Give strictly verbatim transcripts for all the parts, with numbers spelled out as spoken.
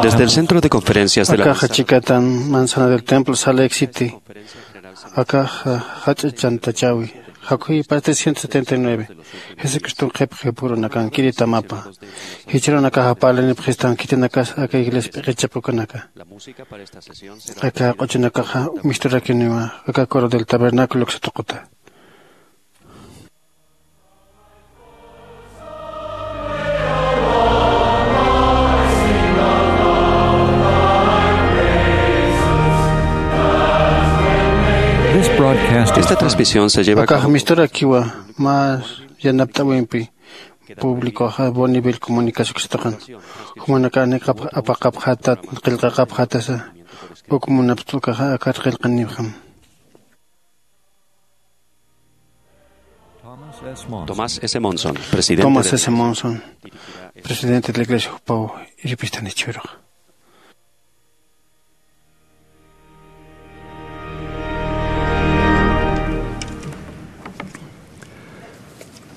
Desde el Centro de Conferencias de la Akaxa chikatan Manzana del Templo, Salt Lake City. Akaxa jach'a chantachawi. Jakuji parte ciento setenta y nueve. Jesucristo qhipqi purunakankiri tamapa. Jichhürunakaxa parlinipxistan khitinakas aka iglesia p'iqichapxukanaka. Aka q'uchunakaxa misturakiniwa aka coro del tabernáculo uksa tuquta. This broadcast is Esta transmisión se lleva a Akax cabo misturakiwa mä yanapt'äwimpi públicoxa Bonneville Comunicaciones uksa tuqin. Jumanakax niqapx apaqapxätat, qillqaqapxätasa, uk munapxta ukaxa akat qillqanipxam. Thomas S. Monson, presidente Thomas de S. Monson, presidente de la iglesia, jupaw irpistani jichhürux.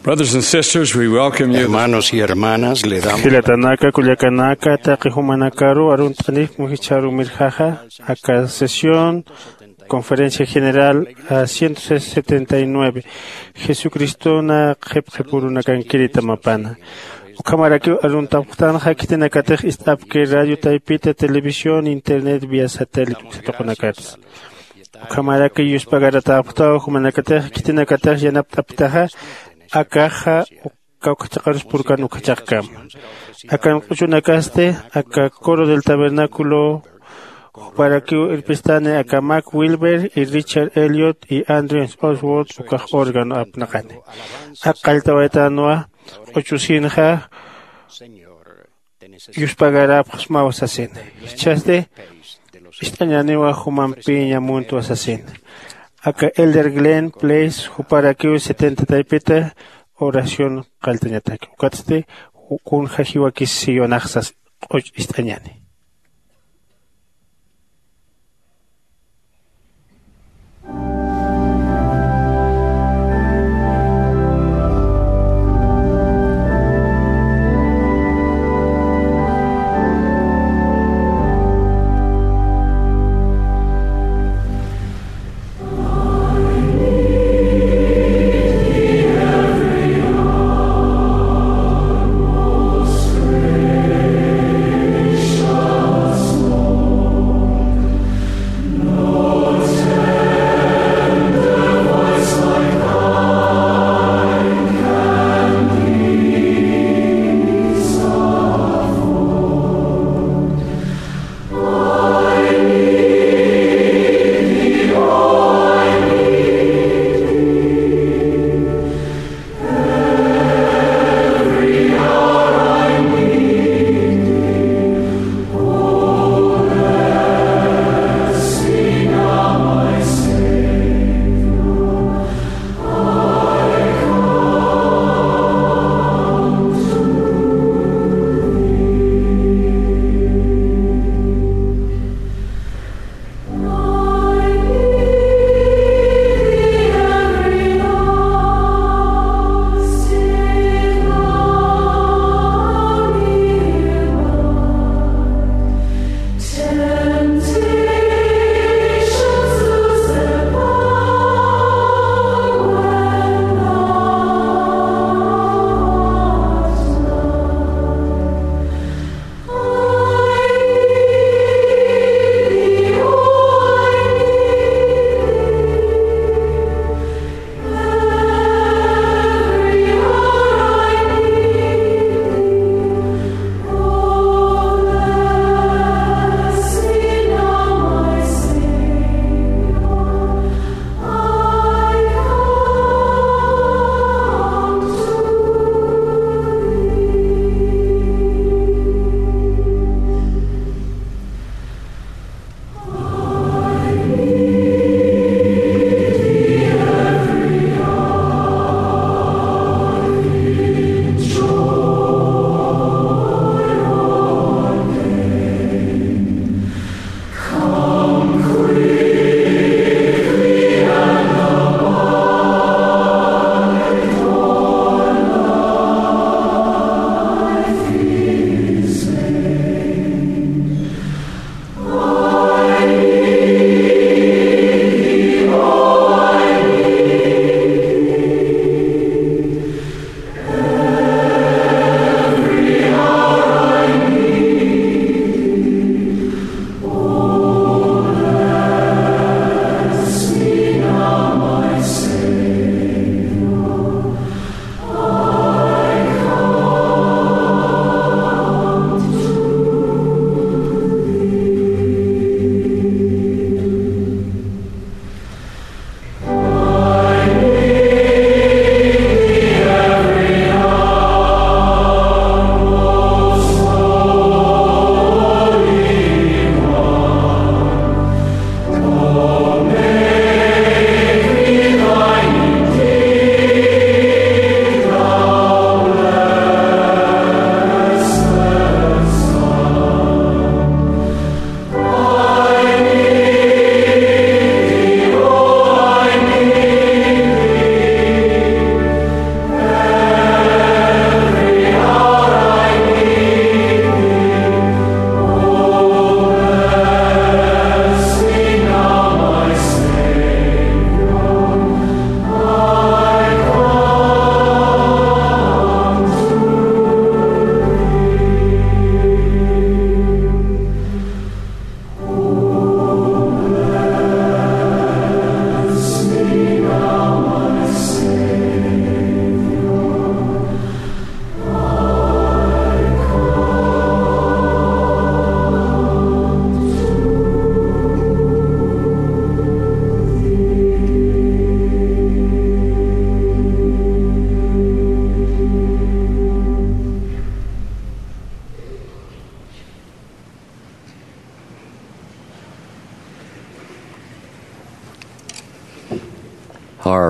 Brothers and sisters, we welcome you. Hermanos y hermanas, le damos Jilatanaka, kullakanaka, taqi jumanakaru arunt'anipxam jichharu mirjaxa aka sesión Conferencia General a ciento setenta y nueve, Jesucristona qhipqi purunakankiri tamapana. Ukhamarakiw aruntapxtanxa khitinakatix ist'apki radio taypita, televisión, internet, vía satélite uksa tuqinakatsa. Ukhamaraki yuspagaratäpxtaw jumanakatix khitinakatix yanapt'apktaxa akaxa kawkha chiqarus purkan ukha chiqkama. Akan q'uchunakasti aka coro del tabernáculo juparakiw irpistani aka Mac Wilber y Richard Elliot y Andrew Oswald ukax órgano apnaqani. Ak qalltawaytanwa q'uchusinxa yuspagaräpxsmaw sasina. Jichhasti ist'añäniwa jumampiña muntwa sasina. Aka Elder Glenn Place juparakiw setenta taypita oración qalltañataki. Ukatsti kunja jiwakis siyunax sas q'uch ist'añäni.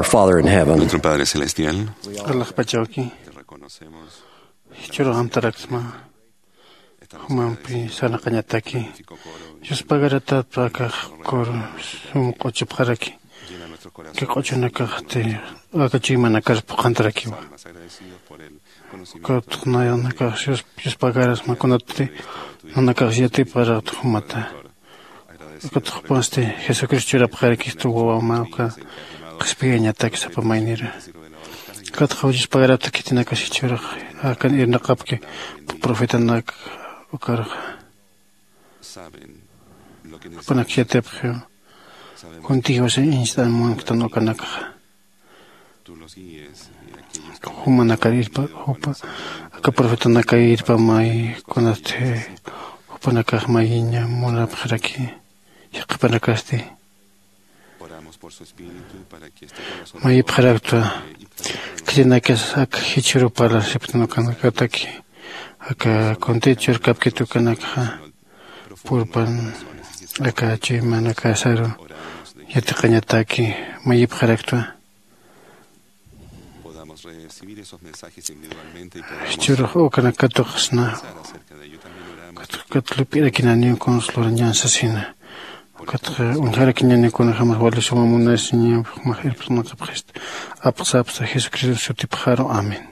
Father in heaven. Nuestro Padre Celestial, alaxpachawki, te reconocemos, jichhürux amtaraksma, jumampi sarnaqañataki, Dios pagaratat akax kur sum q'uchupxaraki, que q'uchunakaxti aka chuymanakar phuqhantarakiwa. Ukatx nayanakax Dios, Dios pagarasma kunatsti nanakax yatipxaraqta jumata. Ukatx jupasti Jesucristo churapxarakistu wawama uka qhispiyañatak sapa maynira. Ukatx jawchis pagarapta khitinakas jichhürux akan irnaqapki profetanak ukarxa. Jupanak yatipxiw kuntigiwasa inchtan munktan ukanakxa. Jumanakar irpa jupa aka profetanakar irpamay kunatsti jupanakax mayiña munapxaraki. Yaqhipanakasti mayipxaraktwa. Khitinakas ak jichhürupala siptan ukanakataki aka kuntit churkapkit ukanakxa purpan aka chuymanakasaru yatiqañataki mayipxaraktwa. Jichhürux ukanak katuqsna. Ukat lup'irakinaniw kuns lurañan sasina. Ukatxa uñjarakiñaniw kunjämas wali suma munasiñaw jumax irptanaqapxista. Apxsapxsa Jesucristo sutipxaru. Amén.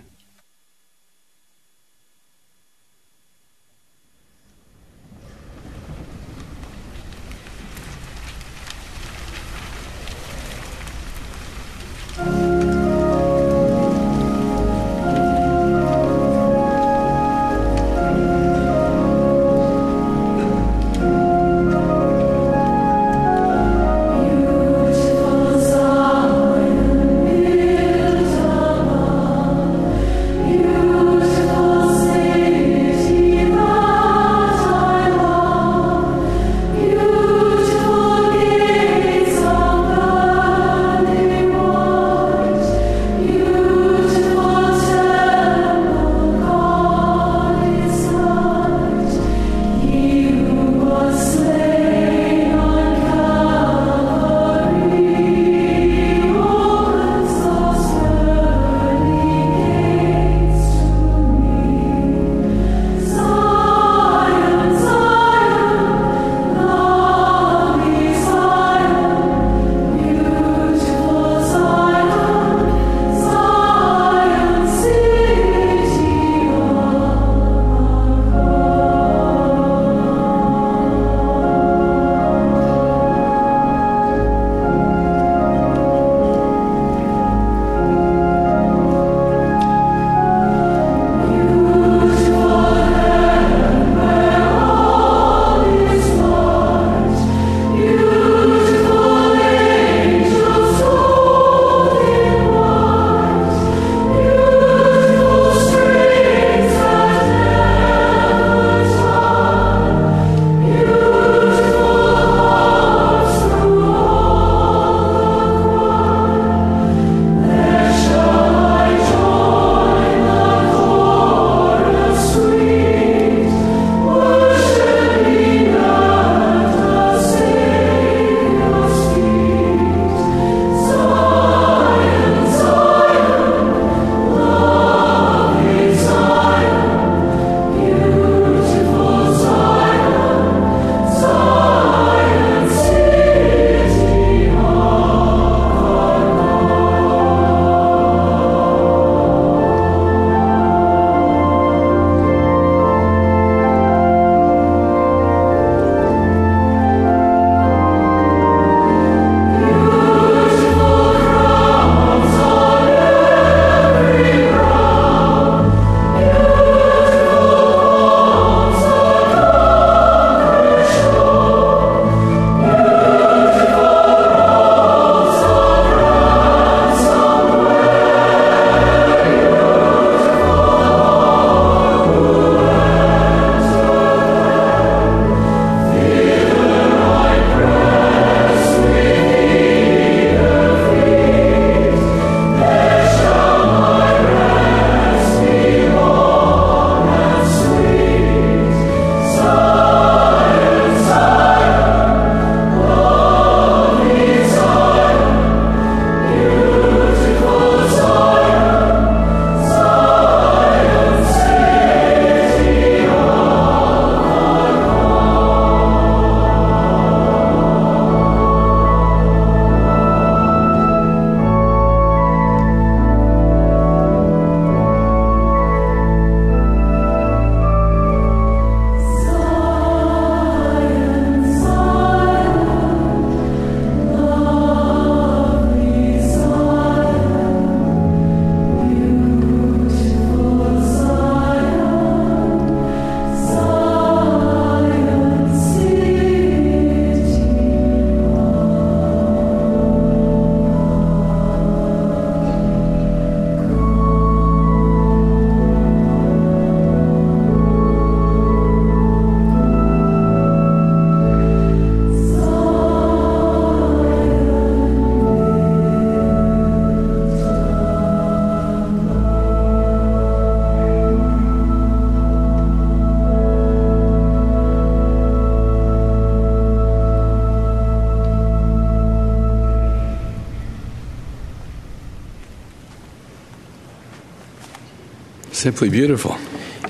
Simply beautiful.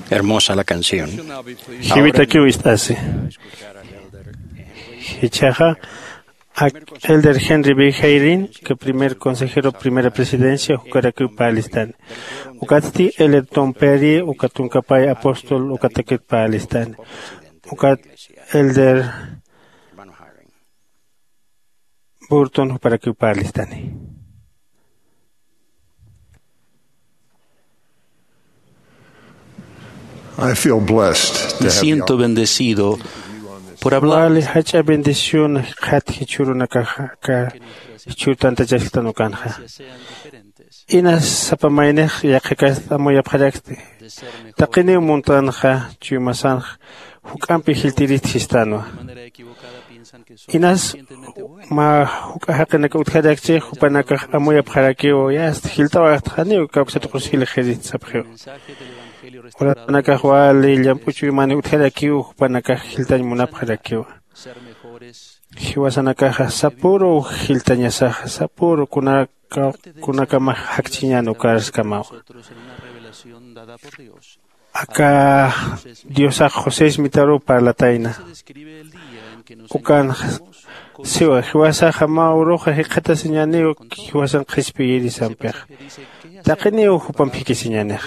Hermosa la canción. Jiwitakiw ist'asi. Jichhaxa ak Elder Henry B. Hayrin, que primer consejero, primera presidencia, jukarakiw parlistani. Ukatsti Elder Tom Perry, uka tunkapay apóstol, ukatakit parlistani. Ukat Elder Burton, juparakiw parlistani. I feel blessed to Me have the siento bendecido por hablar. Wali jach'a bendición jikxat jichhürunakaxa, aka jichhür tantachasktan ukanxa. Inas sapa maynix yaqhikast amuyapxaraksti. Taqiniw muntanxa, chuymasanxa, juk'ampi jiltirist jistanwa. Inas mä juk'a jaqinaka utjarakchi, jupanakax amuyapxarakiw, yast jilt'awaxtxa, janiw kawksat qus jilxirist sapxiw. Urasanakax wali llamp'u chuymani utjarakiw, jupanakax jiltañ munapxarakiwa. Jiwasanakaxa sapüru jiltañasaxa, sapüru kunaka, kunakamax jakchiñän ukarskamawa. Aka Diosax José Smitaruw parlatayna. Ukan siwa, jiwasaxa mä uruxa jikxatasiñäniw jiwasan qhispiyirisampixa. Taqiniw jupamp jikisiñänix.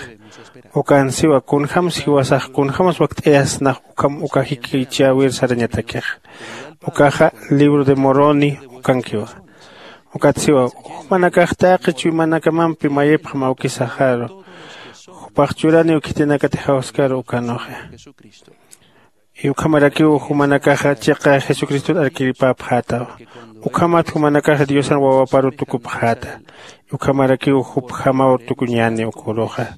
Ukan siwa, kunjams jiwasax, kunjams wakt'ayasnax ukham uka jikichäwir sarañatakixa. Ukaxa libro de Moroni ukankiwa. Ukat siwa, jumanakax taqi chuymanakamampi mayipxam awkisaxaru. Jupax churaniw khitinakatix jawskaru ukanuxa. Y ukhamarakiw jumanakaxa chiqa Jesucristot arkiripapxätawa. Ukhamat jumanakaxa Diosan wawaparu tukupxäta. Ukhamarakiw jupjamaw tukuñäni uk uruxa.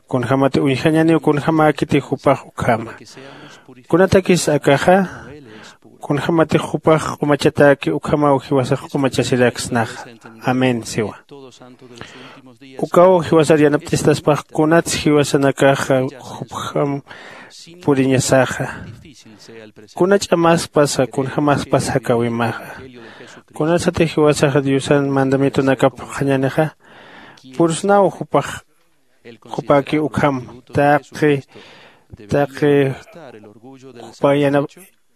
Kunjämati uñjañäniw kunjämäkiti jupax ukhama. Kunatakis akaxa, kunjämatix jupax q'umachatäki ukhamaw jiwasax q'umachasiraksnaxa. Amén siwa. Ukaw jiwasar yanapt'istaspax kunats jiwasanakaxa jupjam puriñasaxa. Kuna ch'amaspasa, kunjämaspasa jakäwimaxa. Kunatsatix jiwasaxa Diosan mandamientonakap phuqhañänixa, pursnaw jupax, jupaki ukham, taqi, taqi, jupa yana-,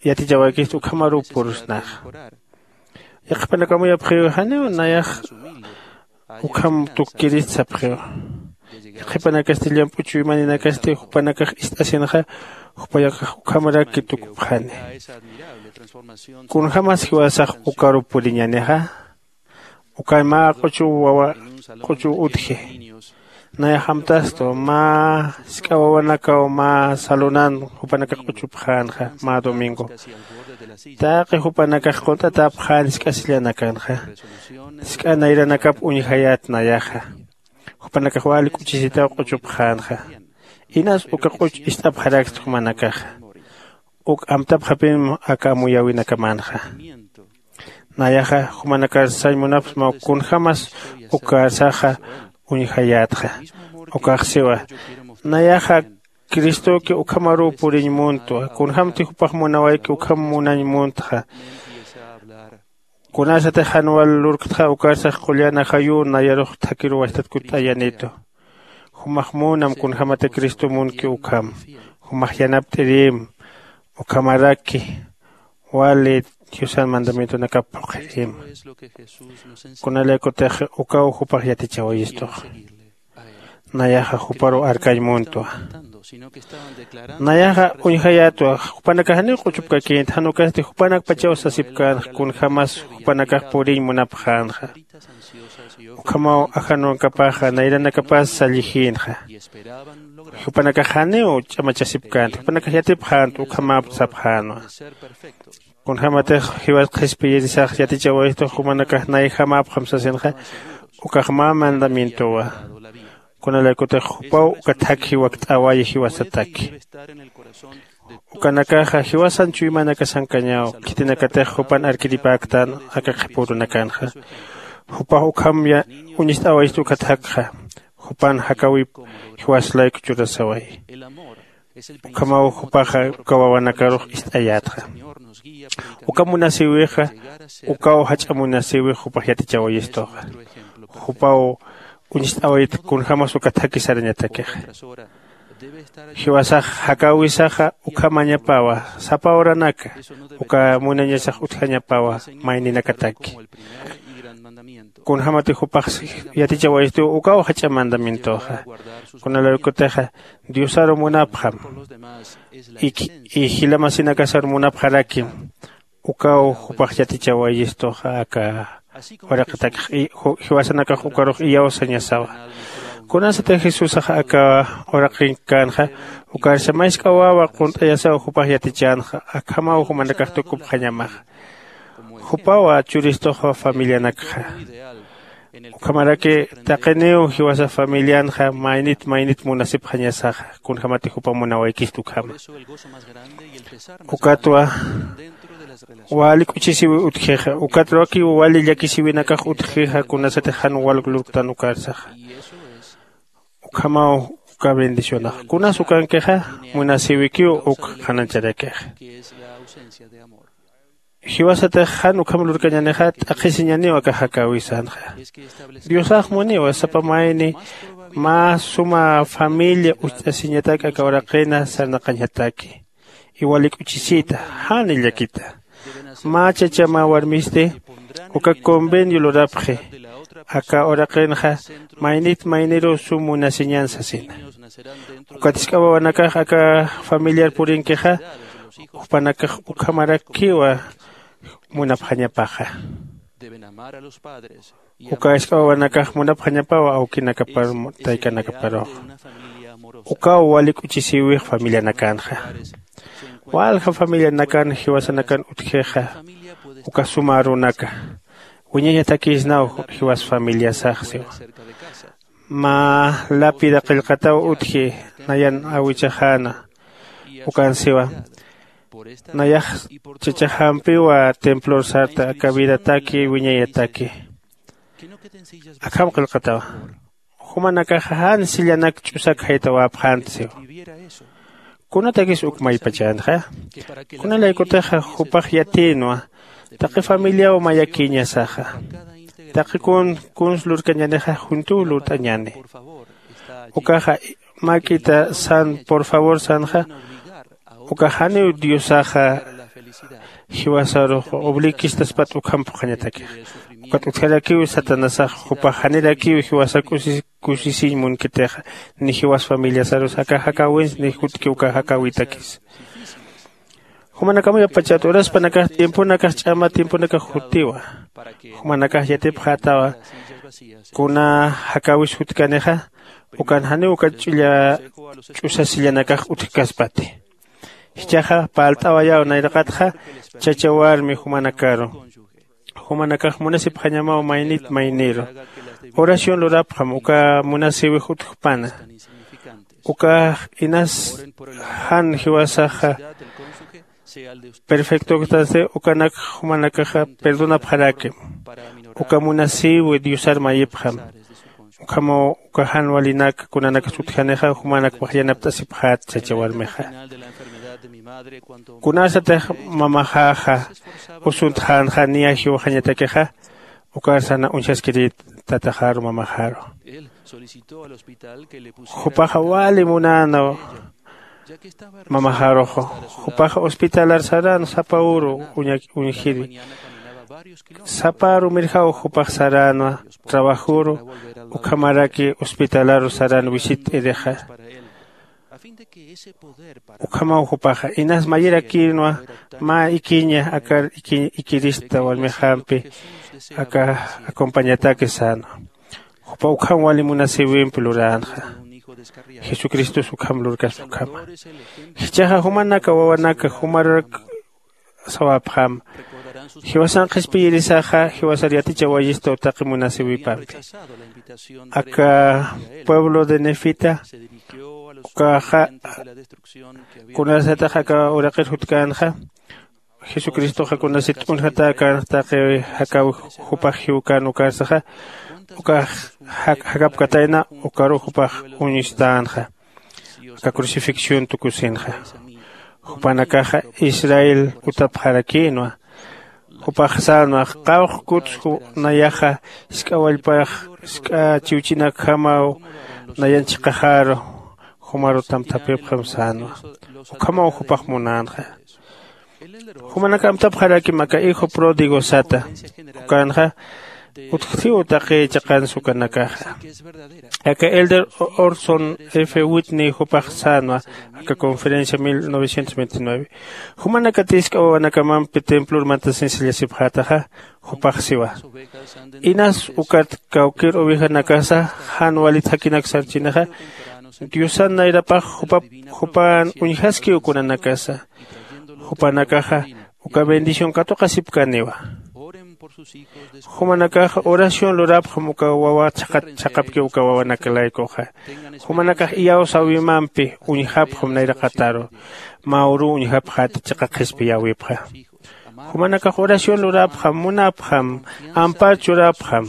yatichawaykist ukhamaruw pursnaxa. Yaqhipanakax amuyapxiw, janiw nayax ukham tukkirist sapxiw. Yaqhipanakasti llamp'u chuymaninakasti jupanakax ist'asinxa, jupanakax ukhamaraki tukupxani. Kunjämas jiwasax ukaru puriñänixa, ukan mä q'uchuw wawa, q'uchuw utji. Nayax amtastu, mä jisk'a wawanakaw mä salonan jupanakax q'uchupxänxa, mä domingo. Taqi jupanakax qunt'atäpxän jisk'a sillanakanxa. Jisk'a nayranakap uñjayät nayaxa. Jupanakax wali k'uchisitaw q'uchupxänxa. Inas uka q'uch ist'apxaraksti jumanakaxa. Uk amtapxapinm aka amuyäwinakamänxa. Nayaxa jumanakar sañ munapxsmaw kunjämas ukarsaxa uñjayätxa. Ukax siwa, nayaxa Cristoki ukhamaruw puriñ muntwa, kunjämti jupax munawayki ukham munañ muntxa. Kunasatix jan wal lurktxa ukarsax qullan ajayü nayarux thakhiruw wastat kutt'ayanitu. Jumax munam kunjämati Cristo munki ukham. Jumax yanapt'irim, ukhamaraki wali Diosan mandamientonakap phuqhirim. Kunalaykutix ukaw jupax yatichawayistux. Nayaxa juparuw arkañ muntwa. Nayaxa uñjayätwa, jupanakax janiw q'uchupkakïnti, jan ukasti jupanakpachaw sasipkänxa, kunjämas jupanakax puriñ munapxänxa. Ukhamaw ajanukapaxa, nayranakapas sallijïnxa. Jupanakax janiw ch'amachasipkänti, jupanakax yatipxänti, ukhamäpt sapxänwa. Kunjämatix jiwas qhispiyirisax yatichawayistux jumanakax nayjamäpxam sasinxa, ukax mä mandamientowa. Kunalaykutix jupaw uka thakhi wakt'awayi jiwasataki. Ukanakaxa jiwasan chuymanakasankañaw, khitinakatix jupan arkiripäktan aka qhipürunakanxa. Jupax ukham ya-, uñist'awayistu uka thakxa. Jupan jakäwip jiwas layku churasawayi. Ukhamaw jupaxa uka wawanakarux ist'ayätxa. Uka munasïwixa, ukaw jach'a munasïwix jupax yatichawayistuxa. Jupaw uñst'awayit kunjämas uka thakhi sarañatakixa. Jiwasax jakäwisaxa ukhamañapawa sapa horanaka, uka munañasax utjañapawa mayninakataki. Kunjämatix jupax yatichawayistiw ukaw jach'a mandamientoxa. Kunalaykutixa diosaru munapxam y jila masinakasar munapxarakim, ukaw jupax yatichawayistuxa aka uraqitakix jiwasanakax ukarux iyawsañasawa. Kunasatix jesusax aka uraqinkänxa ukarsa mask'awawa qunt'ayasaw jupax yatichänxa, akhamaw jumanakax tukupxañamaxa. Jupawa churistuxa familianakxa. Ukhamaraki taqiniw jiwasa familianxa maynit maynit munasipxañasaxa kunjämati jupa munawaykistu ukhama. Ukatwa wali k'uchisiwi utjixa, ukatwa wali llakisiwinakax utjixa kunasatix jan walk lurktan ukarsaxa. Ukhamaw uka bendicionax kunas ukankixa, munasïwikiw uk qhanañcharakixa. Jiwasatix jan ukham lurkañänixa t'aqhisiñaniw aka jakäwisanxa. Diosax muniwa sapa mayni mä suma familia ust'asiñatak aka uraqina sarnaqañataki. Iwal ik'uchisita, jan illakita. Mä chacha mä warmisti uka convenio lurapxi aka uraqinxa maynit mayniruw sum munasiñän sasina. Ukat jisk'a wawanakax aka familiar purinkixa jupanakax ukhamarakiwa munapxañapaxa. Uka jisk'a wawanakax munapxañapawa awkinakapar taykanakaparuxa. Ukaw wali k'uchisïwix familianakänxa. Walja familianakan jiwasanakan utjixa uka suma arunaka. Wiñañatakïsnaw jiwas familiasax siwa. Mä lapida qillqataw utji nayan awichaxäna. Ukan siwa nayax chachaxampiwa templor sarta aka vidataki wiñayataki. Akham qillqatawa jumanakaxa jan sillanak ch'usak jaytawäpxänti siwa. Kunatakis uk maypachänxa? Kunalaykutixa jupax yatïnwa taqi familiaw mayakïñasaxa. Taqi kun kuns lurkañänixa juntuw lurt'añäni. Ukaxa mäk'ita san por favor sanxa. Ukax janiw diosaxa jiwasarux obligkistaspat ukham phuqhañatakixa. Ukat utjarakiw satanasax jupax janirakiw jiwasak kusisiñ munkitixa ni jiwas familiasarus aka jakäwins ni jutki uka jakäwitakis. Jumanakamuyapachat uraspanakax tiemponakax ch'ama tiemponakax jutiwa. Jumanakax yatipxätawa kuna jakäwis jutkanixa ukan janiw uka ch'ulla ch'usasillanakax utjkaspati. Jichhaxa parlt'awayaw nayraqatxa chacha warmi jumanakaru. Jumanakax munasipxañamaw maynit mayniru. Oración lurapxam uka munasïwix utjpana. Ukax inas jan jiwasaxa perfectoktansti ukanak jumanakaxa perdonapxarakim. Uka munasïwi diosar mayipxam. Ukhamaw uka jan walinak kunanakas utjanixa jumanakpax yanapt'asipxät chacha warmixa. Kunasatix mamaxäxa usuntxänxa niya jiwxañatakixa. Ukar sana uñjaskirït tataxaru mamaxaru. Jupaxa wali munäna mamaxaruxu. Jupaxa hospitalar sarän sapa uru uñjiri. Sapa aru mirjaw jupax saränwa trabajuru. Ukhamaraki hospitalaru sarän wisit t'irixa. Ukhamaw jupaxa inas mayirakïnwa mä ikiña akar ikirista warmixampi aka acompañataki sänwa. Jupa ukham wali munasïwimpi luränxa. Jesucristos ukham lurkaspa ukhama. Jichhaxa jumanaka wawanaka jumarak sawapxam. Jiwasan qhispiyirisaxa jiwasar yatichawayistaw taqi munasïwipampi. Aka pueblo de nefita ukaxa kunasatix aka uraqir jutkänxa. Jesucristoxa kunasat t'unjatäkänxa taqi jakäwix jupax jiwkän ukarsaxa ukax jakapkatayna ukaru jupax uñstänxa. Aka crucifixión tukusinxa. Jupanakaxa israel utapxarakïnwa. Jupax sänwa, qawqkutsu nayaxa jisk'a wallpax jisk'a chiwchinakjamaw nayan chiqaxaru, jumaru tamthapipxam sänwa. Ukhamaw jupax munänxa. Jumanak amtapxarakim aka hijo pródigo sata. Ukanxa utjthiw taqi chiqansa ukanakaxa. Aka elder Orson F Whitney jupax sänwa aka conferencia mil novecientos veintinueve, jumanakatï jisk'a wawanakamampi templor mantasin sallasipxätaxa. Jupax siwa, inas ukat kawkïr ovejanakasa jan walit jakinak sarchinixa, diosan nayrapax jupan uñjaskiw kunanakasa. Jupanakaxa uka bendición katuqasipkaniwa. Jumanakaxa oración lurapxam uka wawa chhaqapkiw uka wawanakalaykuxa. Jumanakax iyawsäwimampi uñjapxam nayraqataru, mä uruw uñjapxäti chiqa qhispiyäwipxa. Jumanakax oración lurapxam, munapxam, ampar churapxam.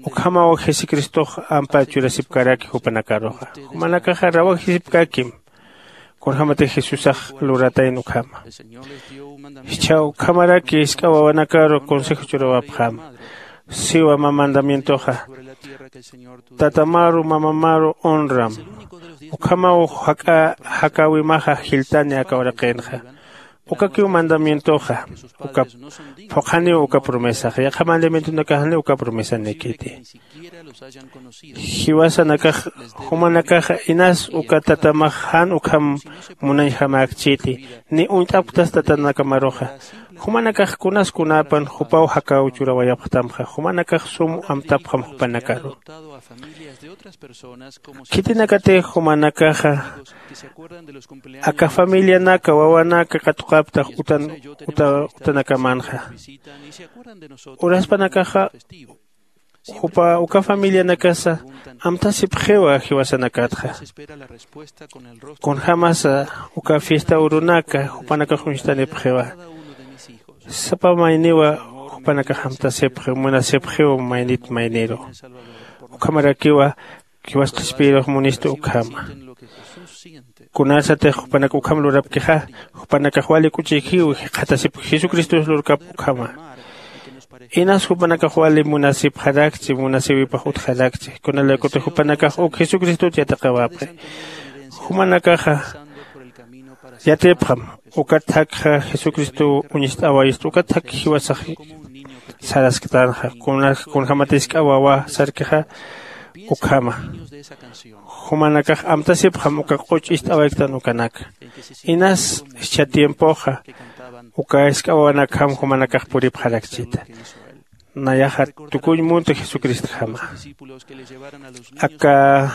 Ukhamaw jesucristox ampar churasipkaraki jupanakaruxa. Jumanakaxa rawajisipkakim kunjämatix jesusax luratayna ukhama. Jichha ukhamaraki jisk'a wawanakaru consejo churawapxäma. Siwa mä mandamientoxa, tatamaru mamamaru honram. Ukhamaw jak'a jakäwimaxa jiltani aka uraqinxa. Ukakiw mandamientoxa. Uka phuqhaniw uka promesaxa, yaqha mandamientonakaxniw uka promesanikiti. Jiwasanakax jumanakaxa inas uka tatamax jan ukham munañjamäkchiti, ni uñt'apktas tatanakamaruxa. Jumanakax kunas kunapan jupaw jakäw churawayapxtamxa, jumanakax sum amtapxam jupanakaru. Khitinakatix jumanakaxa aka familianaka wawanaka katuqaptax utan utanakamanxa. Uraspanakaxa jupa uka familianakasa amtasipxiwa jiwasanakatxa. Kunjämasa uka fiesta urunaka jupanakax uñstanipxiwa. Sapa mayniwa jupanakax amtasipxi munasipxiw maynit mayniru. Ukhamarakiwa jiwas qhispiyirux munistu ukhama. Kunasatix jupanak ukham lurapkixa, jupanakax wali k'uchikiw jikxatasipki jesucristos lurkap ukhama. Inas jupanakax wali munasipxarakchi munasïwipax utjarakchi kunalaykutix jupanakax uk jesucristot yatiqawapxi. Jumanakaxa yatipxam ukat thakxa jesucristow uñist'awaystu ukat thak jiwasax sarasktanxa. Kunjämat jisk'a wawa sarkixa ukhama. Jumanakax amtasipxam uka q'uch ist'awayktan ukanaka. Inas jichha tiempoxa uka jisk'a wawanakjam jumanakax puripxarakchita. Nayaxa tukuñ munta jesucristojama. Aka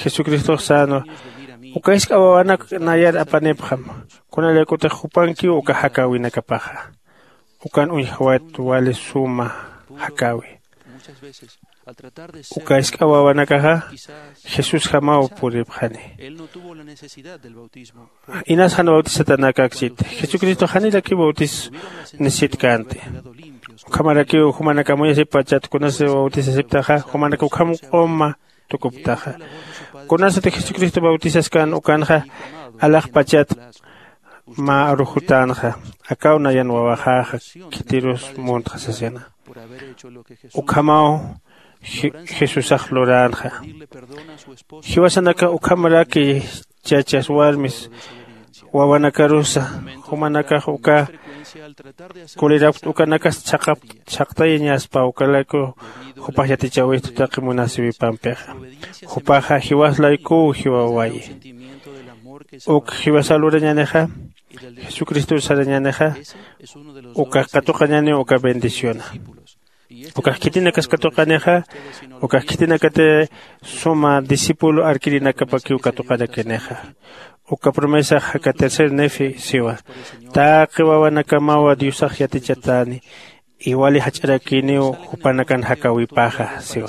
jesucristox sänwa, uka jisk'a wawanak nayar apanipxam. Kunalaykutix jupankiw uka jakäwinakapaxa. Ukan uñjawayt wali suma jakäwi. Uka jisk'a wawanakaxa jesusjamaw puripxani. Inas jan bautisatanakakchit jesucristox janirakiw bautis necesitkänti. Ukhamarakiw jumanak amuñasipachat kunasa bautisasiptaxa jumanak ukham q'uma tukuptaxa. Kunasatix jesucristo bautisaskan ukanxa alaxpachat mä arujutänxa. Akaw nayan wawaxäxa khitirus muntxa sasina. Ukhamaw jesusax luränxa. Jiwasanakax ukhamaraki chachas warmis wawanakarusa jumanakax uka kulirapkta ukanakas chhaqtayañaspa ukalayku jupax yatichäwistu taqi munasïwipampixa. Jupaxa jiwas laykuw jiwawayi. Uk jiwasa lurañänixa jesucristor sarañänixa ukax katuqañäniw uka bendiciona. Ukax khitinakas katuqanixa ukax khitinakati suma discípulo arkirinakapakiw katuqarakinixa. Uka promesax aka tercer nefi siwa, taqi wawanakamawa diosax yatichatäni iwali jach'arakiniw jupanakan jakäwipaxa siwa.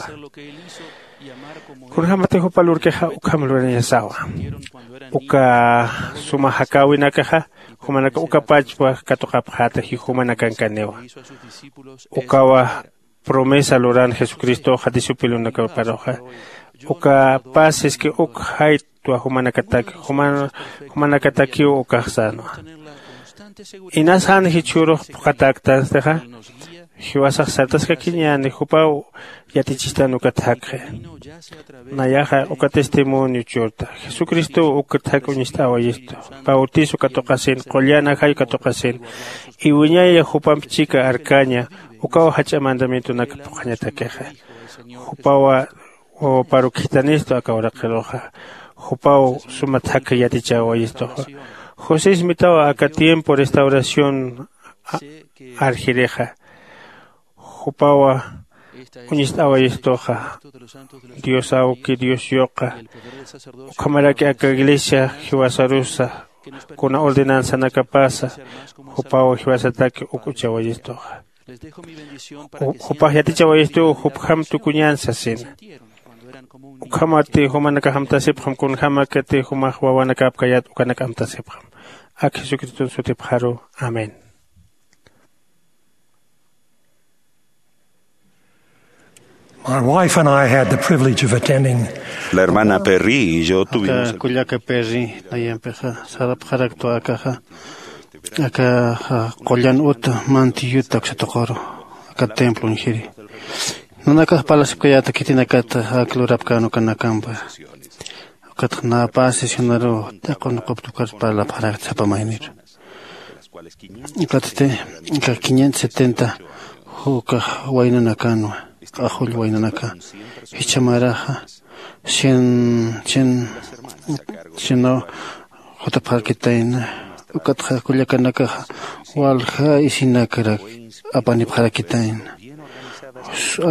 Kunjämatix jupa lurkixa ukham lurañasawa. Uka suma jakäwinakaxa jumanaka uka pachpa katuqapxäta jikhumanakankaniwa. Ukawa promesa luran jesucristoxa discipulonakaparuxa. Uka paz siski uk jaytwa jumanakataki jumanakatakiw ukax sänwa. Inas jan jichhürux phuqhatäktanstixa, jiwasax sartaskakiñäni jupaw yatichistan ukat jakxi. Nayaxa uka testimonio churta. Jesucristow ukat jak uñist'äwayistu. Bautizo katuqasin, qullan ajay katuqasin, iwiñaya jupamp chika arkaña, ukaw jach'a mandamientonak phuqhañatakixa. Jupawa wawaparukjitanistu aka uraqiruxa. Jupaw sumat jakha yatichäwayistuxa. Josés mitawa aka tiempo restauración arjirixa. Jupawa uñist'äwayistuxa. Dios awki, Dios yuqa, ukhamaraki aka iglesia jiwasarusa, kuna ordenanzanakapasa jupaw jiwasataki uk'uchawayistuxa. Jupax yatichawayistuw jupjam tukuñän sasina. Ukhamati jumanakax amtasipxam, kunjämakati jumax wawanakapkayät ukanak amtasipxam. Ak jesucriston sutipxaru. Amén. My wife and I had the privilege of attending. La hermana Perry y yo tuvimos aka kullaka Perry nayampixa sarapxaraktu akaxa aka qullan uta manti yuta uksatuquru aka templo uñjiri. Nanakax parlasipkayäta khitinakata ak lurapkän ukanakampa. Ukatxa nä pä sesionaruw taq'un quptukar parlapxarakta sapa mayniru. Ukatsti aka quinientos setenta jukax waynanakanwa, q'axull waynanaka jichhamaraxa cien cien cienaw jutapxarakitayna. Ukatxa kullakanakaxa walja isinakarak apanipxarakitayna.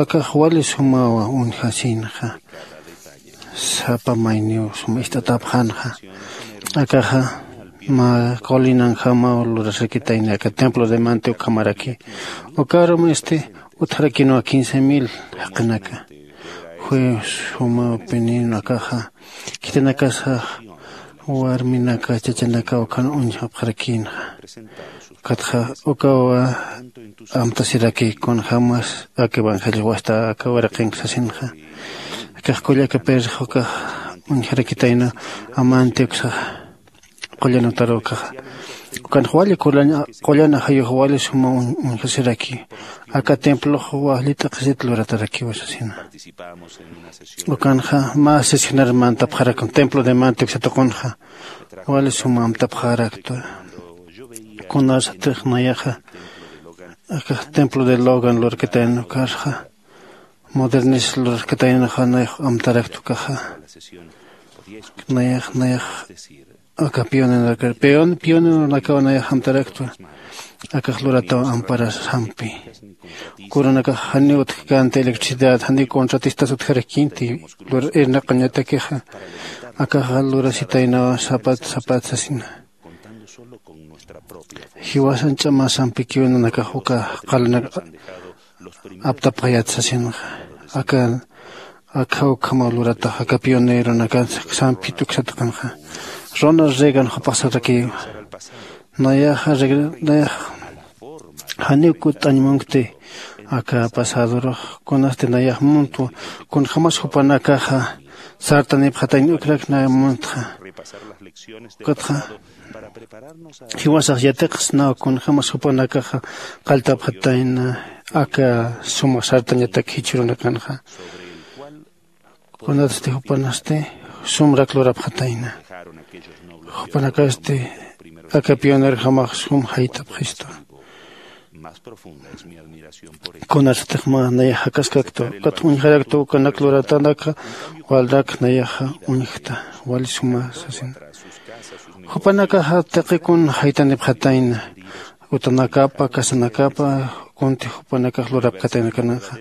Akax wali sumawa uñjasinxa. Sapa mayniw suma ist'atäpxänxa. Akaxa mä colinanjamaw lurasakitayna aka templo de manti ukhamaraki. Ukarum este utjarakïnwa quince mil jaqinaka. Jueves jumawpinïn akaxa khitinakasax warminaka chachanaka ukan uñjapxarakïnxa. Ukatxa ukawa amtasiraki kunjämas aka evangelio wasta aka waraqinka sasinxa. Akax kullaka Perrix ukax uñjarakitayna amanti uksaxa qullan utaru ukaxa. Ukanx wali qullan ajayux wali suma uñjasiraki. Aka templox wali t'aqhisit luratarakiwa sasina. Ukanxa mä sesionar mantapxarakun templo de manti uksatuqunxa. Wali suma amtapxaraktu. Kunasatix nayaxa aka templo de logan lurakitayna ukarxa modernis lurakitaynaxa nayax amtaraktu ukaxa. Nayax nayax aka pioneronakaw nayax amtaraktwa. Akax lurataw amparasampi. Kuranakax janiw utjkänti electricidad janiw contratistas utjarakïnti. Lur irnaqañatakixa akaxa lurasitaynawa sapat sapat sasina. Jiwasan ch'amasampikiw nanakax uka qalanak aptapxayät sasinxa. Aka akha ukhamaw luratax aka pioneronakan sampit uksataqanxa. Ronald Reagan jupax sarakiwa. Nayaxa nayax janiw kutt'añ munkti aka pasadorux kunasti nayax muntwa kunjämas jupanakaxa sartanipxatayna ukrak nay muntxa. Ukatxa jiwasax yatiqsnaw kunjämas jupanakaxa qalltapxatayna aka suma sartañatak jichhürunakanxa. Kunatsti jupanasti sumrak lurapxatayna. Jupanakasti aka pionerjamax sum jaytapxistu. Kunatstix mä nayax jakaskaktwa ukatxa uñjaraktu ukanak luratanakxa walrak nayaxa uñjkta wali suma sasina. Jupanakaxa taqikun jaytanipxatayna utanakapa casanakapa kunti jupanakax lurapkataynakananxa.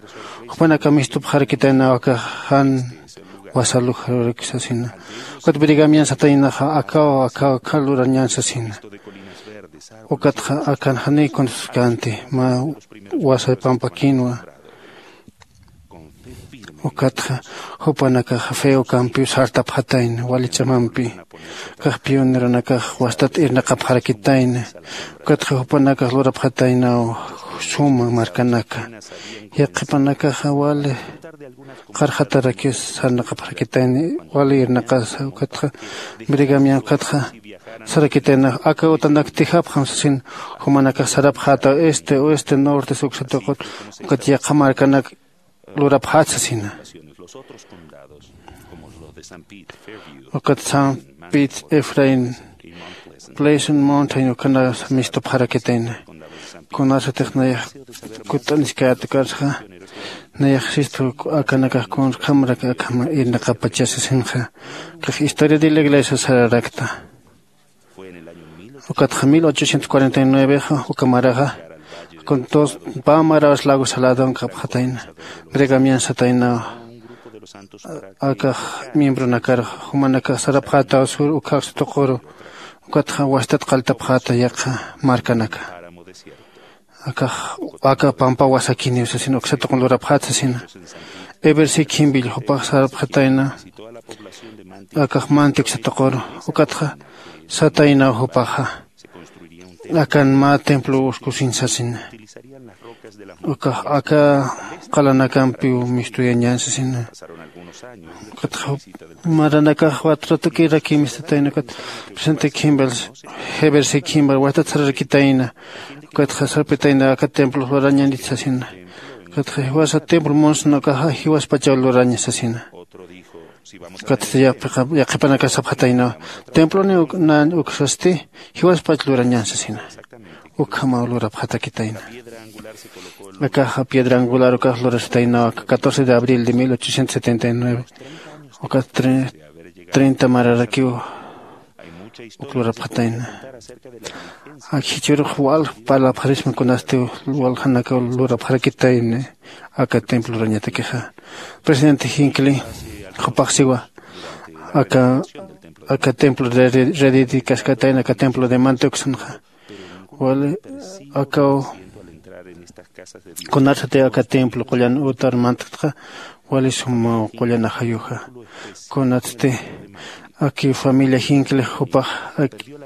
Jupanaka mistupxarakitaynaw akax jan wasalujarurak sasina. Ukat brigamian sataynaxa akaw akaw akha lurañan sasina. Ukatxa akan janiy kunaskanti mä wasa pampakinwa. Ukatxa jupanakaxa feo campiw sartapxatayna wali ch'amampi. Kax pioneronakax wastat irnaqapxarakitayna. Ukatxa jupanakax lurapxataynaw suma markanaka. Yaqhipanakaxa wali qarxatarakiw sarnaqapxarakitayni, wali irnaqasa ukatxa, brigamian ukatxa sarakitayna, aka utanak tijapxam sasin. Jumanakax sarapxätaw este oeste norte suksatuqut, ukat yaqha markanak lurapxät sasina. Ukat san pit efraín, pleasant mountain ukanasa mistupxarakitayna. Kunasatix nayax kutt'aniskät ukarxa, nayax sistu akanakax kunjamarak akhama irnaqapachä sasinxa. Kax historia de la iglesia sararakta. Ukatxa mil ochocientos cuarenta y nueve uka maraxa, con dos pä marawas lago saladon kapxatayna, bregamian sataynawa. Akax miembronakar jumanakax sarapxätaw sur ukhax tuquru. Ukatxa wastat qalltapxäta yaqha markanaka. Akax aka pampa wasakiniw sasina, uksa tuqun lurapxät sasina. Ebersi khimbill jupax sarapxatayna, akax manti uksa tuquru. Ukatxa sataynaw jupaxa, akan mä templo uskusin sasina. Ukax aka qalanakampiw mistuyañän sasina. Ukatxa maranakax watratukirakï mistatayna, ukat presente khimbal, jebersi khimbal wastat sararakitayna. Ukatxa sarpitayna aka templo lurañanit sasina. Ukatxa jiwasa templo munsna ukaxa jiwaspachaw luraña sasina. Ukatsti yaqhipanakax sapxataynawa, temploni nañ uksasti jiwaspach lurañän sasina. Ukhamaw lurapxatakitayna. Akaxa piedra angular ukax lurasitaynawa aka catorce de abril de mil ochocientos setenta y nueve. Ukat treinta mararakiw uk lurapxatayna. Ak jichhürux wal parlapxarisma kunasti waljanakaw lurapxarakitayna aka templo lurañatakixa. Presidente Hinckley jupax siwa, aka aka templo rededicaskätayna aka templo de manteuksanxa. Wali akaw kunarsati aka templo qullan utar mantkatxa, wali sumaw qullan ajayuxa. Kunatsti aki familia Hinckley jupax,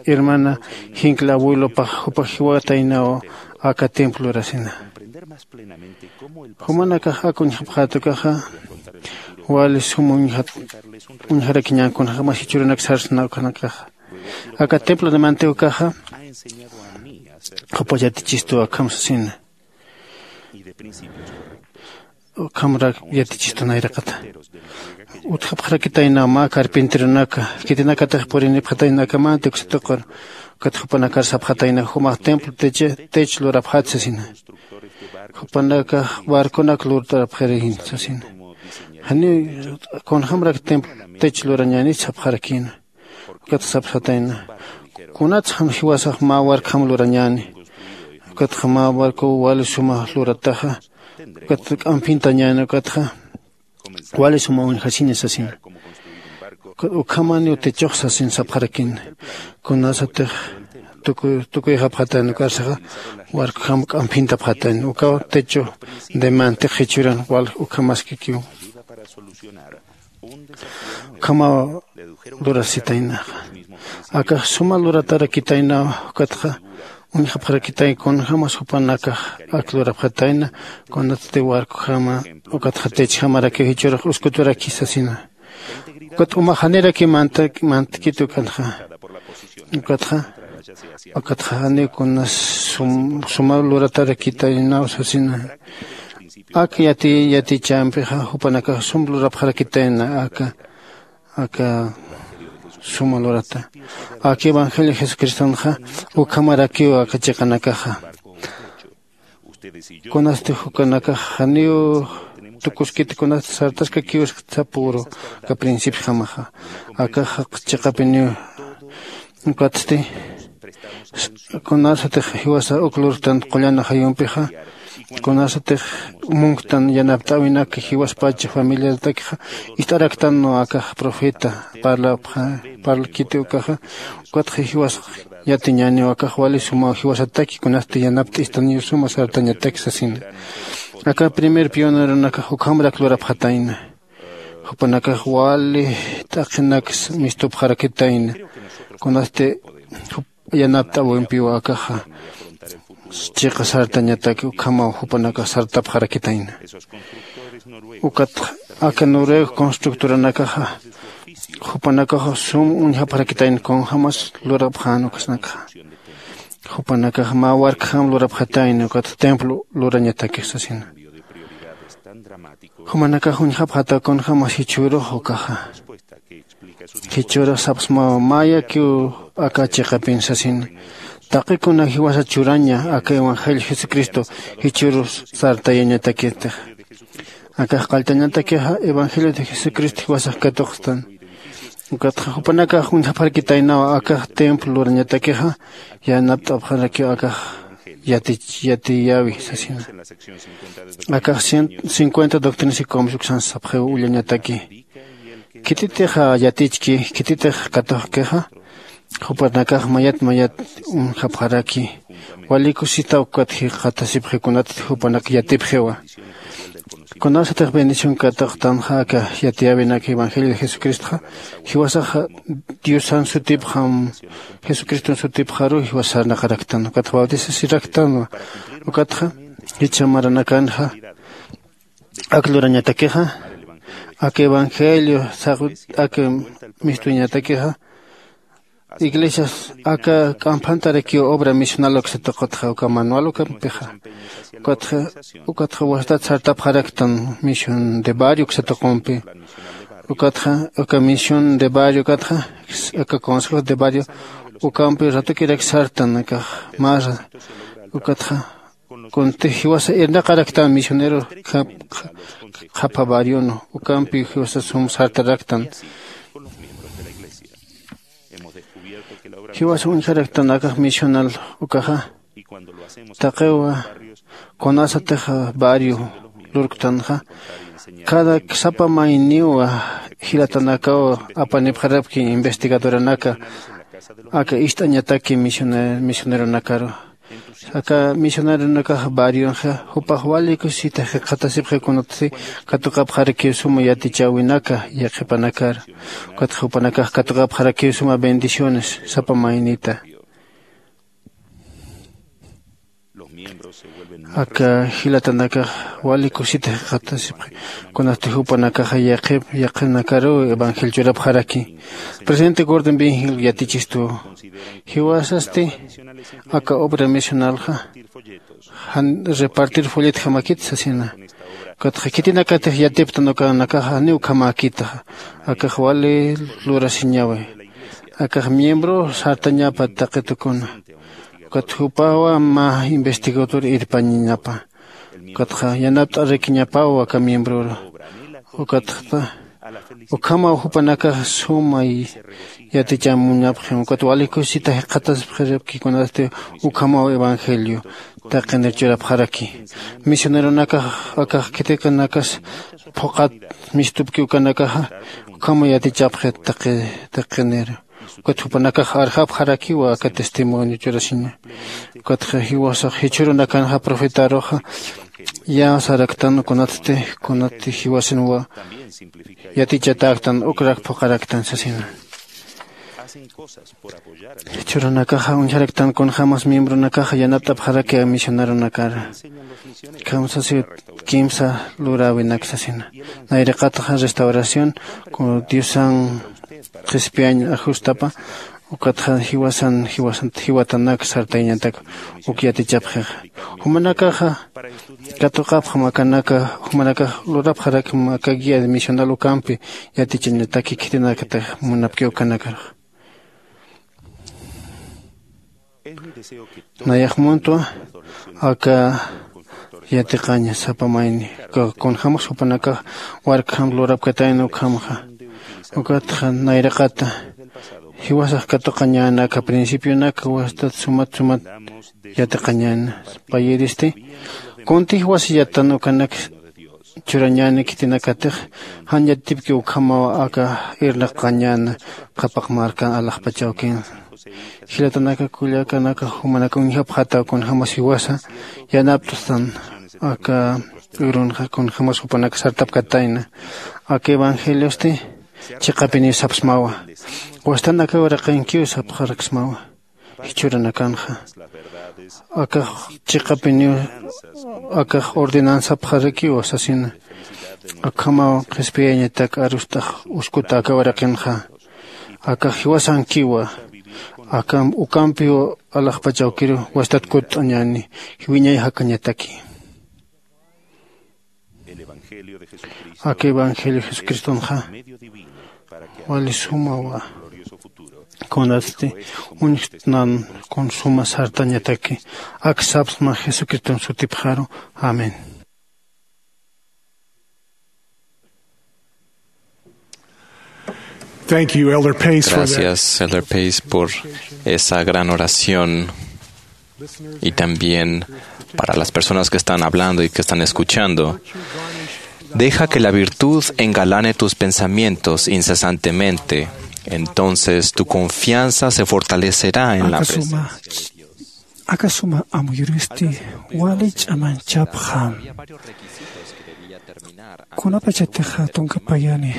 hermana Hinckley abuelopax jupax jiwataynaw aka templo urasina. Jumanakax ak uñjapxät ukaxa, wali suma uñjat uñjarakiñän kunjämas jichhürunak sarsna ukanakaxa. Aka templo de manteukaxa jupax yatichistu akham sasina. Ukhamrak yatichistu nayraqata. Utjapxarakitayna mä carpinteronaka, khitinakatix purinipxatayna aka manti uksa tuqur. Ukat jupanakar sapxatayna, jumax templo techo lurapxät sasina. Jupanakax barconak lurtarapxirïn sasina. Janiw kunjämrak templo techo lurañänit sapxarakïna. Ukat sapxatayna, kunatsa jan jiwasax mä warkham lurañäni. Ukatxa mä barcow wali suma lurataxa, ukat k'amphintañäni, ukatxa wali suma uñjasiña sasina. Ukhamaniw techox sasin sapxarakïna. Kunasatix tukuyxapxatayna ukarsaxa, warkham k'amphintapxatayna ukaw techo de mantix jichhüran wal ukhamaskikiw. Ukhamaw lurasitaynaxa. Akax suma luratarakitaynaw, ukatxa uñjapxarakitay kunjämas jupanakax ak lurapxatayna, kunatsti warkujama ukatxa techjamarakiw jichhürux uskuturaki sasina. Ukat uma janirakiw mantkiti ukanxa. Ukatxa ukatxa janiw kunas suma luratarakitaynaw sasina. Ak yati yatichampixa jupanakax sum lurapxarakitayna aka aka suma lurata. Ak evangelio jesucristonxa ukhamarakiw aka chiqanakaxa. Kunasti jukanakax janiw tukuskiti, kunasti sartaskakiw sapüru aka principiojamaxa. Akax chiqapiniw. Ukatsti kunasatix jiwasa uk lurtan qullan ajayumpixa, kunasatix munktan yanapt'äwinak jiwaspacha familiaratakixa ist'araktan, no, akax profeta parlapxa, parlakiti ukaxa. Ukatxa jiwasax yatiñäniw akax wali sumaw jiwasataki, kunasti yanapt'istaniw suma sartañataki sasina. Aka primer pioneronakax ukhamrak lurapxatayna. Jupanakax wali t'aqhinak mistupxarakitayna. Kunasti yanapt'äwimpiw akaxa. chiqa sartañataki ukhamaw jupanakax sartapxarakitayna. Ukat aka noruego constructoranakaxa jupanakax sum uñjapxarakitayna kunjämas lurapxän ukasnakxa. Jupanakax mä warkjam lurapxatayna ukat templo lurañatakix sasina. Jumanakax uñjapxataw kunjämas jichhürux ukaxa. Jichhürux sapxsmaw mayakiw aka chiqapin sasina. Taqi kuna jiwasa churaña aka evangelio jesucristo jichhürus sartayañatakitix. Akax qalltañatakixa evangelio de jesucristo jiwasax katuqstan. Ukatxa jupanakax uñjapxarakitaynaw akax templo lurañatakixa yanapt'apxarakiw akax yatich yatiyäwi sasina. Akax cincuenta doctrinas y comios uksan sapxiw ullañataki. Khititix yatichki khititix katuqkixa jupanakax mayat mayat uñjapxaraki. Wali kusita ukat jikxatasipxi kunatsti jupanak yatipxiwa. Kunasatix bendición katuqtanxa aka yatiyäwinak evangelio de jesucristoxa jiwasaxa diosan sutipxam jesucriston sutipxaru jiwas sarnaqaraktan ukatxa bautizasiraktanwa. Ukatxa jichha maranakanxa ak lurañatakixa ak evangelio saqwi ak mistuñatakixa iglesias aka k'amphantarakiw obra misional uksa tuqutxa uka manual ukampixa. Ukatxa ukatxa wastat sartapxaraktan misión de barrio uksa tuqumpi. Ukatxa uka misión de barrio ukatxa aka consejo de barrio ukampi ratukirak sartan akax masa. Ukatxa kunti jiwasa irnaqaraktan misionero qhapha barrion ukampi jiwasa sum sartaraktan. Jiwasa uñjaraktan akax misional ukaxa taqiwa kunasatix barrio lurktanxa cada sapa mayniw jilatanakaw apanipxarapki investigadoranaka aka ist'añataki misioneronakaru. Aka misioneronakax barrionxa jupax wali kusisita jikxatasipxi kunatsti katuqapxarakiw suma yatichäwinaka yaqhipanakar. Ukatxa jupanakax katuqapxarakiw suma bendiciones sapa maynita. Aka jilatanakax wali kusita jikxatasipxi kunatsti jupanakaxa yaqhip yaqhinakaruw evangelio churapxaraki. Presidente gordon bingil yatichistuw jiwasasti aka obra misionalxa jan repartir folletjamakit sasina. Ukatxa khitinakatix yatiptan ukanakaxa janiw ukhamäkitaxa. Akax wali lurasiñawi. Akax miembro sartañapa taqi tukuna. Ukat jupawa mä investigador irpañañapa. Ukatxa yanapt'arakiñapaw aka miembroru. Ukatxa ukhamaw jupanakax sumay yatichamuñapxim ukat wali kusisita jikxatasipxirapki kunasti ukhamaw evangelio taqinir churapxaraki. Misioneronakax akax khitikanakas phuqhat mistupki ukanakaxa ukhamaw yatichapxi taqinir. Ukat jupanakax arjapxarakiwa aka testimonio churasiña. Ukatxa jiwasax jichhürunakanxa profetaruxa yäsaraktan kunatsti kunatsti jiwasinwa yatichatäktan ukrak phuqaraktan sasina. Jichhürunakaxa uñjaraktan kunjämas miembronakaxa yanapt'apxaraki misioneronakar. Kamsasiw kimsa luräwinak sasina. Nayraqataxa restauración diosan qhispiyañ ajustapa. Ukatxa jiwasan jiwasant jiwatanak sartayañatak uk yatichapxixa. Jumanakaxa katuqapxam akanaka jumanakax lurapxarakma aka guía misional ukampi yatichañataki khitinakatix munapki ukanakarax. Nayax muntwa aka yatiqaña sapa mayni kunjämas jupanakax warkjam lurapkatayna ukhamxa. Ukatxa nayraqata jiwasax katuqañäna aka principionaka wastat sumat sumat yatiqañäna. Payiristi kunti jiwasa yatan ukanak churañäni khitinakatix jan yatipki ukhamaw aka irnaqañäna qhapaq markan alaxpachawkin. Jilatanaka kullakanaka jumanaka uñjapxataw kunjämas jiwasa yanapt'stan aka urunxa kunjämas jupanaka sartapkatayna. Aka evangeliosti chiqapiniw sapxsmawa. Wastanakaw raqinkiw sapxaraksmawa. Jichhüranakanxa akax chiqapiniw akax ordenanzapxarakiwa sasina. Akhamaw qhispiyañatak arust'ax uskuta aka uraqinxa. Akax jiwasankiwa. Akam ukampiw alaxpach awkiru wastat kutt'añäni. Jiwiñay jakañataki. Aka evangelio jesucristonxa wali sumawa. Kunatsti uñjtnan kun suma sartañataki. Ak sapsma jesucriston sutipxaru. Amén. Thank you, Elder Pace, for that. Gracias, Elder Pace, por esa gran oración. Y también para las personas que están hablando y que están escuchando. Deja que la virtud engalane tus pensamientos incesantemente. Entonces tu confianza se fortalecerá en la presencia de Dios. Aka suma amuyuristi wali ch'amanchapxam. Kunapachatixa tunka payani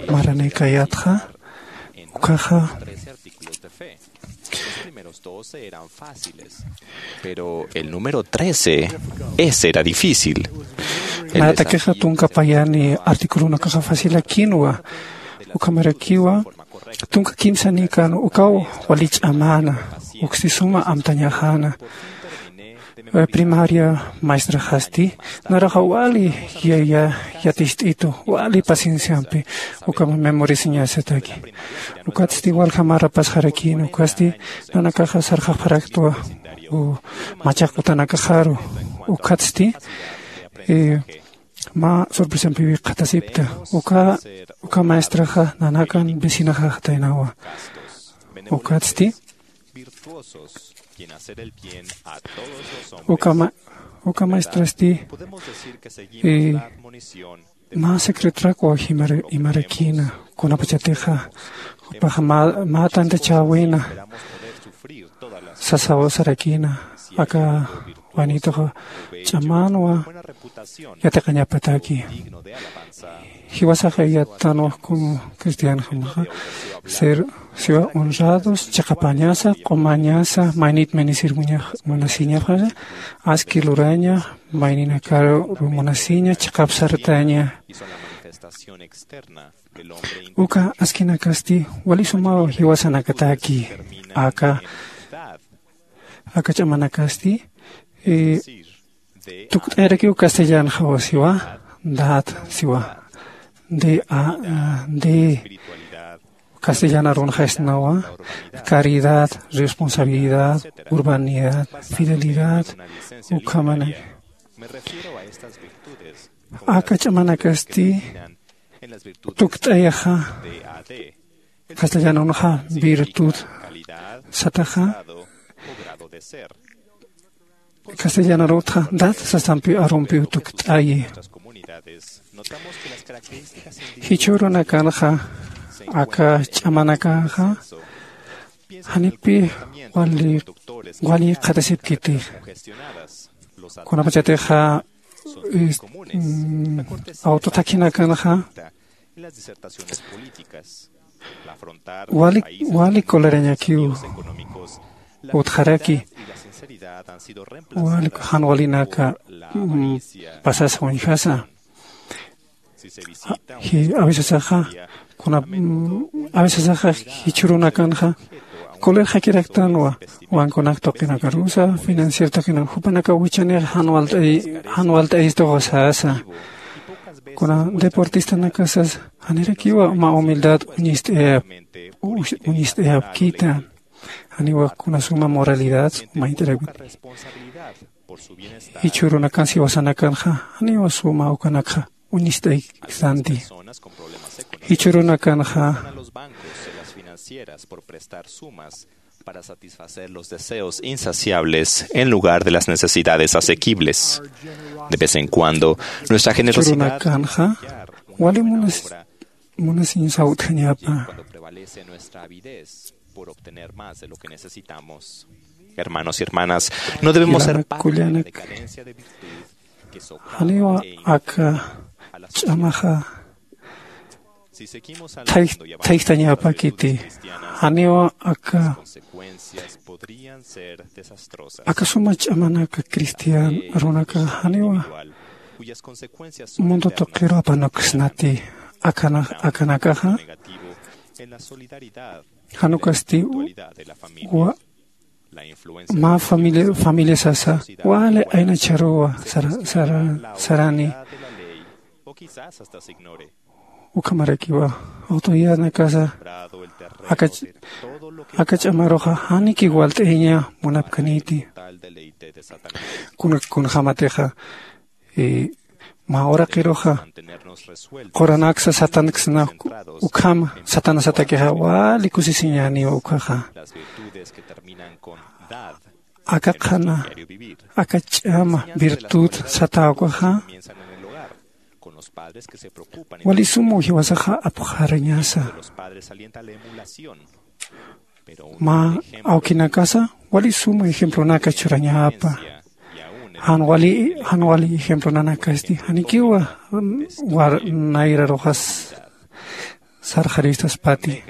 maranïkayätxa, ukkhaxa. Los primeros doce eran fáciles, pero el número trece, ese era difícil. Mayatakixa tunka payani articulonakaxa facilakïnwa, ukhamarakiwa tunka kimsanïkän ukaw wali ch'amäna, uksti suma amtañaxäna. Eh, primaria maestraxasti, naraxa wali ya, ya, yatist'itu, wali pacienciampi, ukham memorisiñasataki. Ukatsti walja mä rapasxarakïn, ukasti nanakaxa sarxapxaraktwa, u, machaq utanakaxaru, ukatsti, eh, mä sorpresampiw qhatasipta, uka, uka maestraxa nanakan vecinaxaxtaynawa. Ukatsti, Uka ma-, uka maestrasti, eh, mä secretorakwa jimar-, jimarakïna, kunapachatixa, jupaxa mä, mä tantachäwina, sasaw sarakïna, aka waynituxa ch'amänwa yatiqañapataki. Jiwasaxa yattanwa como cristianojamaxa, ser, siwa honrados, chiqapañasa, q'umañasa, maynit ministir muñax-, munasiñapxasa, aski luraña, mayninakaru munasiña, chiqap sartaña. Uka askinakasti, wali sumaw jiwasanakataki, aka, aka ch'amanakasti, eh, tukt'ayarakiw castellanxawa siwa, dad siwa, de, a, a, de, castellan arunxasnawa, caridad, responsabilidad, urbanidad, fidelidad, ukhamana. Aka ch'amanakasti, tukt'ayaxa, castellanunxa virtud sataxa, castellanarutxa dad sasampi arumpiw tukt'ayi. Jichhürunakanxa, aka ch'amanakaxa, janipi wali, wali qhatasipkiti. Kunapachatixa, eh, mm, autotaxinakanxa, wali, wali colerañakiw utjaraki, wali jan walinaka, mm, pasasa uñjasa. Ji-, a veces axa, kuna, mm, a veces axa jichhürunakanxa, colerjakiraktanwa, banconak tuqinakarusa, financiero tuqinak, jupanakaw wichhanix jan walt'ay, jan walt'ayistuxa sasa. Kuna deportistanakasas, janirakiwa mä humildad uñist'ayap-, uñist'ayapkita. Janiwa kuna suma moralidad mayt'arakiti. Jichhürunakan siwasanakanxa, janiwa suma ukanakxa uñist'aykisanti. Jichhürunakanxa, para satisfacer los deseos insaciables en lugar de las necesidades asequibles. De vez en cuando, nuestra generosidad jichhürunakanxa, wali munas-, munasiñasaw utjañapa. Cuando prevalece nuestra avidez por obtener más de lo que necesitamos. Hermanos y hermanas, no debemos ser parte de la decadencia de virtud. Janiwa aka ch'amaxa Thayj- thayjtañapakiti. Janiwa aka aka suma ch'amanaka cristian runaka janiwa mundo tuqiru apanuksnati. Akana- akanakaxa janukasti wa- mä familia familia sasa wali aynacharuwa sara- sara- sarani. Ukhamarakiwa autoridadnakasa aka ch- aka ch'amaruxa janiki walt'ayaña munapkaniti. Kuna- kunjamatixa mä uraqiruxa quranaksa satanksna ukhama satanasatakixa wali kusisiñäniwa ukhaxa. Aka qhana aka ch'ama virtud satäwkaxa wali suma jiwasaxa apxarañasa. Mä awkinakasa wali suma ejemplonaka churañapa. Jan wali jan wali ejemplonanakasti janikiwa nayraruxas sarxaristaspati.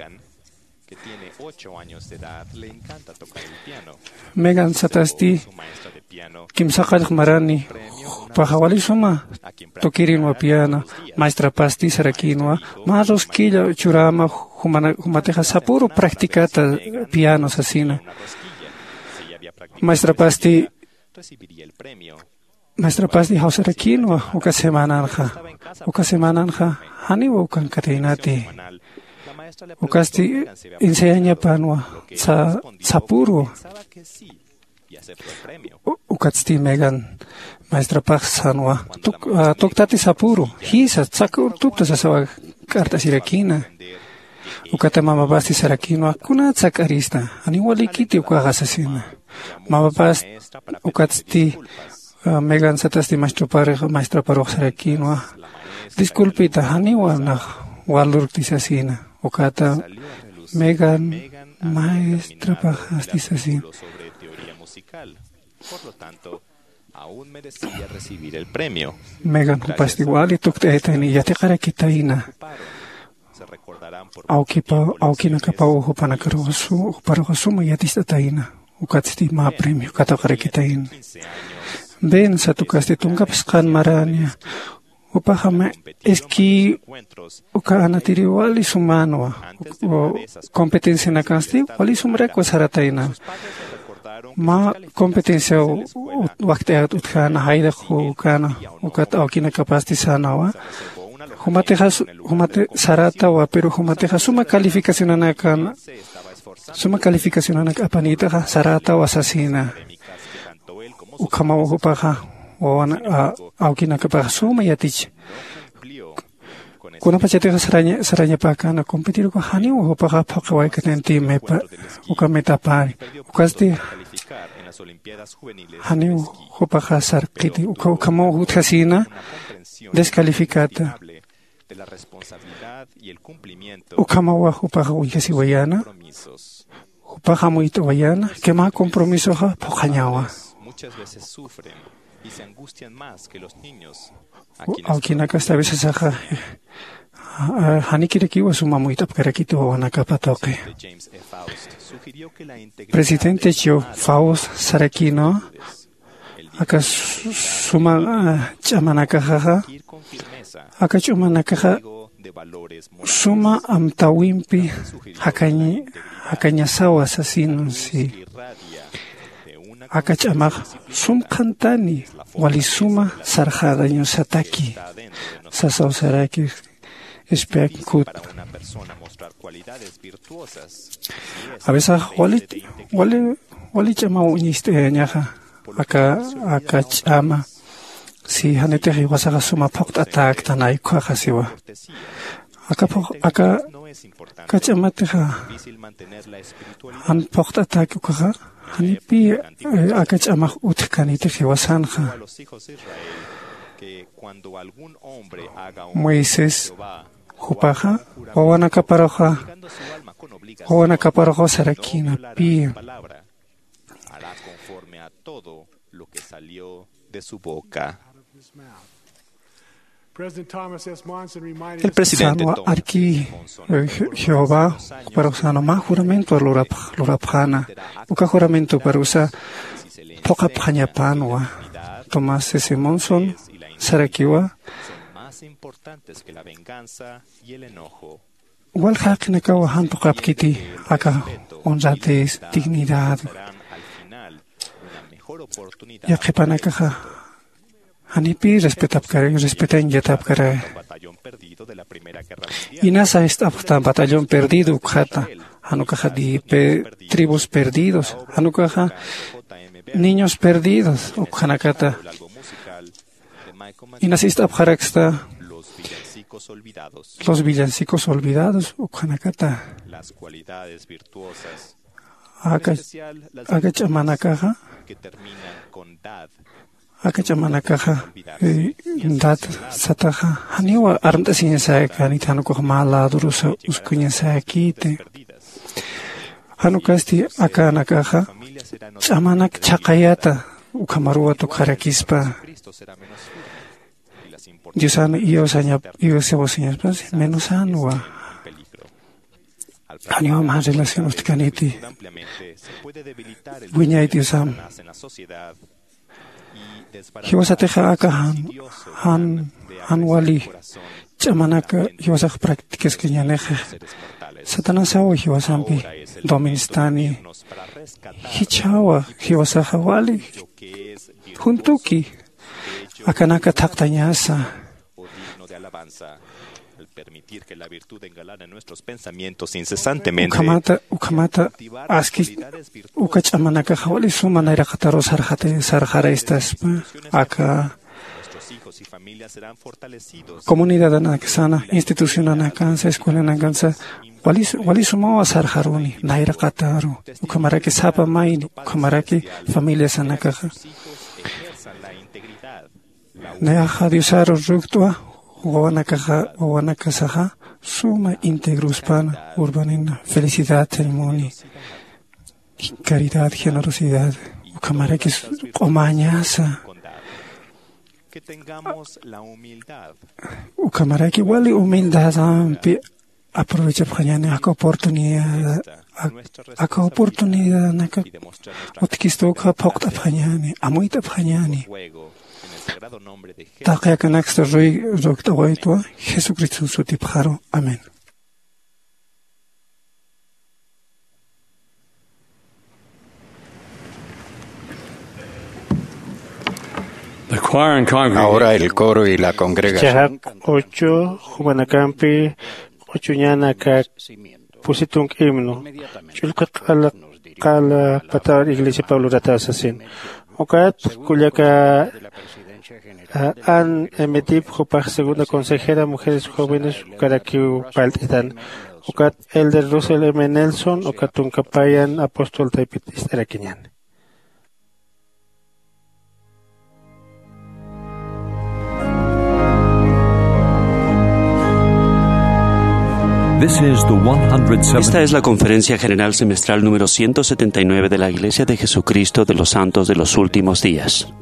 Megan satasti kimsaqallq marani jupaxa wali suma tukirinwa piano. Maestrapasti sarakïnwa mä rosquilla churäma jumana- jumatixa sapüru practicata piano sasina. Maestrapasti maestrapasti jawsarakïnwa uka semananxa uka semananxa janiwa ukankataynati. Ukasti enseñañapanwa sapüru. Ukatsti megan maestrapax sanwa tuktati sapüru jisa tsakürtupta sasawa k'art'asirakïna. Ukata mamapasti sarakïnwa kunat sak'arista janiw walikiti ukaxa sasina. Mamapas ukatsti megan satasti maestraparux sarakïnwa disculpita janiwa nax walurkti sasina. Ukata megan maestrapaxasti sasina. Megan jupasti wali tukt'ayatayna yatiqarakitayna. Awkinakapaw jupanakaruxa suma yaticht'atayna. Ukatsti mä premio katuqarakitayna. Ben satukasti tunkapsqan marania jupaxama esquí uka anatiri wali sumanwa. Competencianakansti wali sumrakwa saratayna. Mä competenciaw wakt'ayat utjäna jayraq jukana ukat awkinakapasti sanawa. Jumatixa jumati sarätawa pero jumatixa suma calificacionanakan suma calificacionanak apanïtaxa sarätawa sasina. Ukhamaw jupaxa wawan awkinakapaxa suma yatich kunapachatixa sarañapäkäna competirku janiw jupaxa phuqhiwaykananti mepa uka metapari. Ukasti janiw jupaxa sarqiti ukhamaw jutjasïna descalificata. Ukhamawa jupaxa uñjasiwayäna jupaxa amuyt'awayäna que mä compromisoxa phuqhañawa. Awkinakasta aveces axa janikirakiwa suma amuyt'apkarakiti wawanakapa tuqi. Presidente chio faust sarakïnwa aka suma ch'amanakaxaxa aka ch'umanakaxa suma amtäwimpi jakañasawa sasinsi. Aka ch'amax sum qhantani wali suma sarxarañusataki sasaw sarakix. Espia kut aveces wali wali wali ch'amaw uñist'ayañaxa aka aka ch'ama si janitix jiwasaxa suma phuqt'atäktanay ukhaxa siwa. Aka phuq aka aka ch'amatixa jan phuqt'atäki ukhaxa janipi aka ch'amax utjkanitix jiwasanxa. Moisés jupaxa wawanakaparuxa wawanakaparuxa sarakïna pï hará conforme a todo lo que salió de su boca. President Thomas S. Monson reminded El us presidente Sanwa Thomas arki, S. Monson eh, Je- Jehová, para usa mä juramento lurapx- lurapxäna. Uka juramento para usa phuqhapxañapanwa. Tomás S. Monson sarakiwa, son más importantes que la venganza y el enojo. Wal jaqinakawa jan phuqhapkiti aka honradez, dignidad. Yaqhipanakaxa janipï respetapkar, respetañ yatapkara. Inasa ist'apxta batallón perdido ukxata, jan ukaxa di pe- tribus perdidos, jan ukaxa niños perdidos ukxanakata. Inas ist'apxaraksta los villancicos olvidados ukxanakata. Aka aka ch'amanakaxa, aka ch'amanakaxa, eh, dad sataxa janiwa armt'asiñasäkäniti, jan ukax mä ladurusa uskuñasäkiti. Jan ukasti akanakaxa ch'amanak chhaqayata ukhamaruwa tukxarakispa. Diosan iyawsañap- iyawsawasiñaspas menosänwa. Janiwa mä relación utjkäniti. Wiñay Diosam. Jiwasatixa aka jan jan jan wali ch'amanak jiwasax practicaskañänixa. Satanasaw jiwasampi dominstani. Jichhawa jiwasaxa wali juntuki akanaka thaqtañasa. O digno de alabanza, al permitir que la virtud engalane nuestros pensamientos incesantemente. Ukhamata ukhamata aski uka ch'amanakaxa wali suma nayraqataru sarxata sarxaraystaspa. Aka nuestros hijos y familias serán fortalecidos. Comunidadanaksana, institucionanakansa, escuelanakansa wali wali sumawa sarxaruni nayraqataru. Ukhamaraki sapa mayni, ukhamaraki familiasanakaxa. Nayaxa Diosaru rukt'wa wawanakaxa wawanakasaxa suma integruspan urbanina felicidad, ceremonia, caridad, generosidad. Ukhamaraki q'umañasa. Ukhamaraki wali humildadampi aprovechapxañäni aka oportunidad. Aka oportunidadnaka utjkista ukxa phuqt'apxañäni, amuyt'apxañäni. Taqi akanaksta ruy rukt'awaytwa Jesucriston sutipxaru. Amén. Ahora el coro y la congregación. Ch'axaq q'uchu jumanakampi q'uchuñanaka pusitunk himno. Ch'ullqi q'ala q'ala patar iglesia pablo rata sasin. Ukat kullaka an emetip jupax segunda consejera mujeres jóvenes ukarakiw palt'itan. Ukat elder russell m nelson ukat tunkapayan apóstol taypit ist'arakiñan. This is the one hundred seventy. Esta es la conferencia general semestral número ciento setenta y nueve de la Iglesia de Jesucristo de los Santos de los Últimos Días.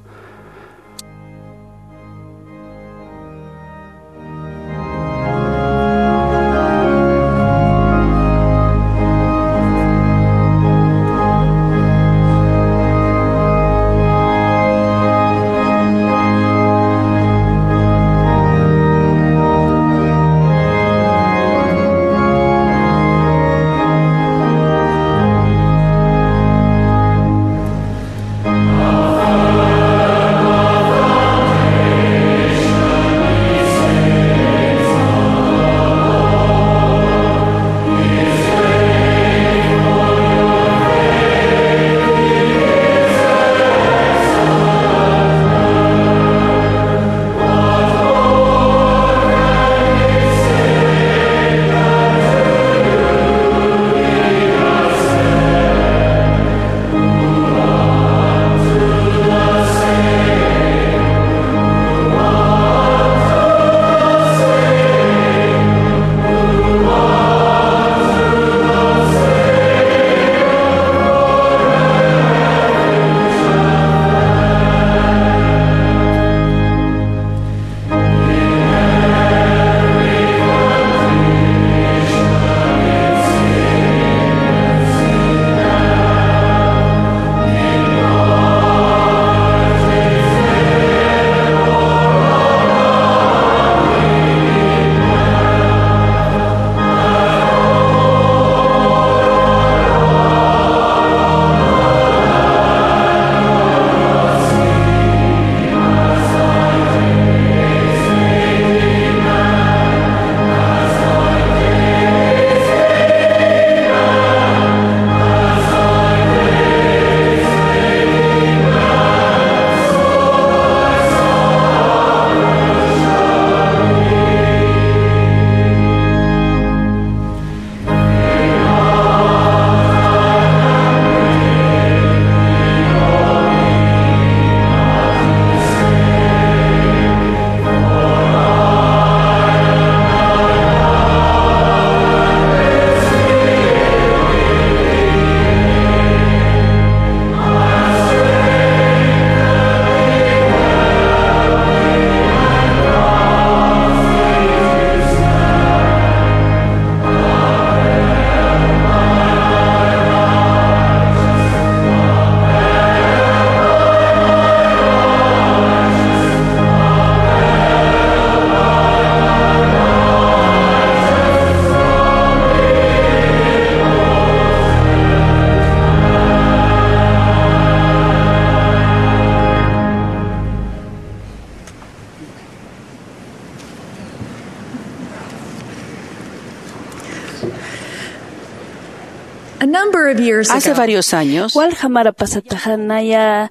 Hace varios años, walja mara pasataxa naya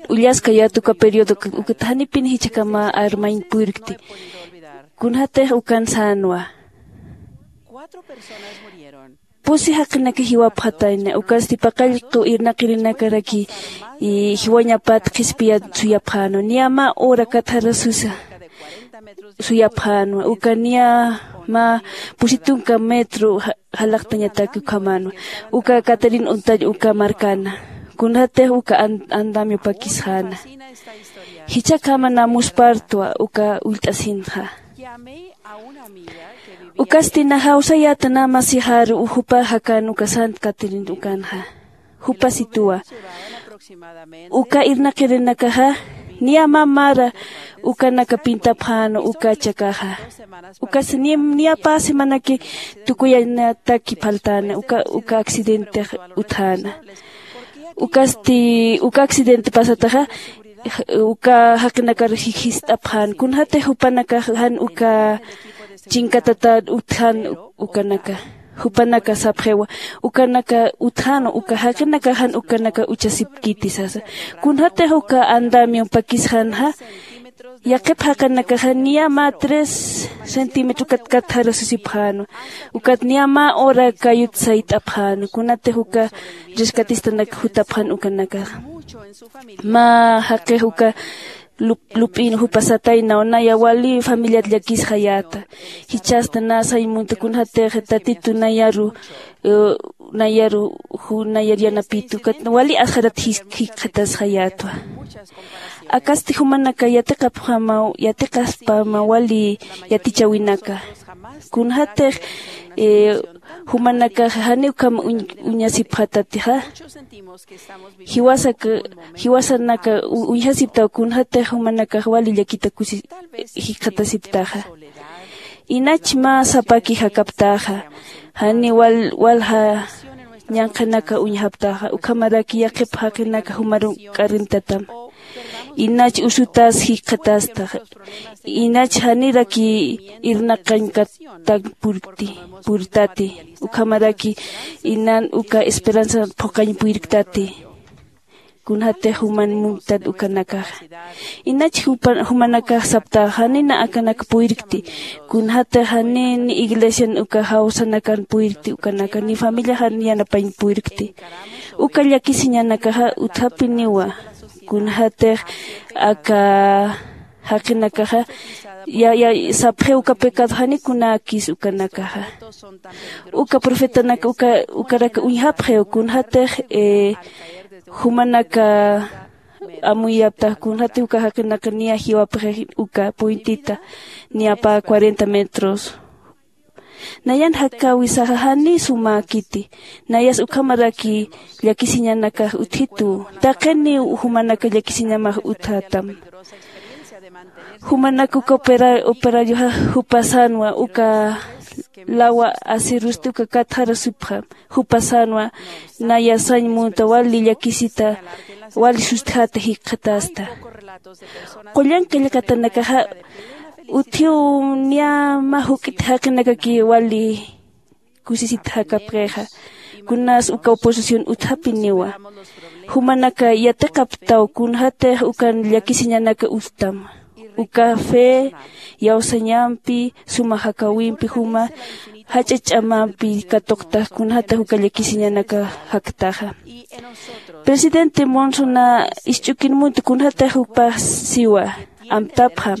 ullaskayät uka periodo, ukat janipin jichhakama armañ purkti. Kunjatix ukan sänwa. Pusi jaqinaka jiwapxatayna, ukasti paqallqu irnaqirinakaraki jiwañapat qhispiyat suyapxänwa. Niya mä hora katharasusa suyapxänwa, uka niya mä pusi tunka metro jalaqtañatak ukhamänwa. Uka katarin untall uka markana, kunjatix uka andamiopakisxäna. Jichhakama namuspartwa uka ullt'asinxa. Ukasti na jawsayäta na masixaru jupa jakan uka sant katarin ukanxa. Jupasituwa uka irnaqirinakaxa niya mä mara ukanaka pintapxänwa uka chakaxa. Ukasti niya pä semanaki tukuyañataki phaltäna uka accidentix utjäna. Ukasti uka accidente pasataxa uka jaqinakar jist'apxän kunjatix jupanakax jan uka chinkatatat utjän. Ukanaka jupanaka sapxiwa ukanaka utjänwa uka jaqinakax jan ukanaka uchasipkiti sasa. Kunjatix uka andamion pakisxänxa yaqhip jaqinakaxa niya mä tres centímetro kat kat jarasusipxänwa. Ukat niya mä hora kayut sayt'apxänwa kunatix uka rescatistanak jutapxän ukanakaxa. Mä jaqix uka lup'in jupasataynaw naya wali familiat llakisxayäta. Jichhasta na sañ munta kunjatix tatitu nayaru nayaru ju nayar yanapitu ukat wali asxarat jikxatasxayätwa. Akasti jumanaka yatiqapxamaw yatiqaspama wali yatichäwinaka. Kunjatix jumanakax janiw ukham uñasipxatatixa. Jiwasanaka uñjasiptaw kunjatix jumanakax wali llakita kusi jikxatasiptaxa. Inach mä sapaki jakaptaxa jani walja ñanqhanaka uñjaptaxa ukhamaraki yaqhip jaqinaka jumaru k'arintatam. Inach usutas jikxatastaxa. Inach janiraki irnaqañkatak purtati ukhamaraki inan uka esperanza phuqañ puyrktati. Kunjatix juman munktat ukanakaxa. Inach jumanakax saptaxa janina akanak puyrkti. Kunjatix jani ni iglesian uka jawsanakan puyrkti ukanaka ni familiaxan yanapañ puyrkti. Uka llakisiñanakaxa utjapiniwa. Kunjatix aka jaqinakaxa sapxiw uka pecado janikunäkis ukanakaxa. Uka profetanak ukaraka uñjapxiw kunjatix jumanaka amuyaptax kunjatix uka jaqinaka niya jiwapxix uka puentita niya pä cuarenta metros. Nayan jakäwisaxa janiy sumäkiti. Nayas ukhamaraki llakisiñanakax utjitu. Taqiniw jumanaka llakisiñamax utjätam. Jumanak uka operarioxa jupa sänwa uka lawa acerosti uka katxarasipxam. Jupa sänwa naya sañ munta wali llakisita wali sustjäta jikxatasta. Qullan qillqatanakaxa utjiw niya mä juk'it jaqinakaki wali kusisit jakapxixa. Kunas uka oposición utjapiniwa. Jumanaka yatiqaptaw kunjatix ukan llakisiñanaka utjtam. Uka fe iyawsañampi suma jakäwimpi juma jach'a ch'amampi katuqtax kunjatix uka llakisiñanaka jaktaxa. Presidente monson na isch'ukin munta kunjatix jupax siwa amtapxam.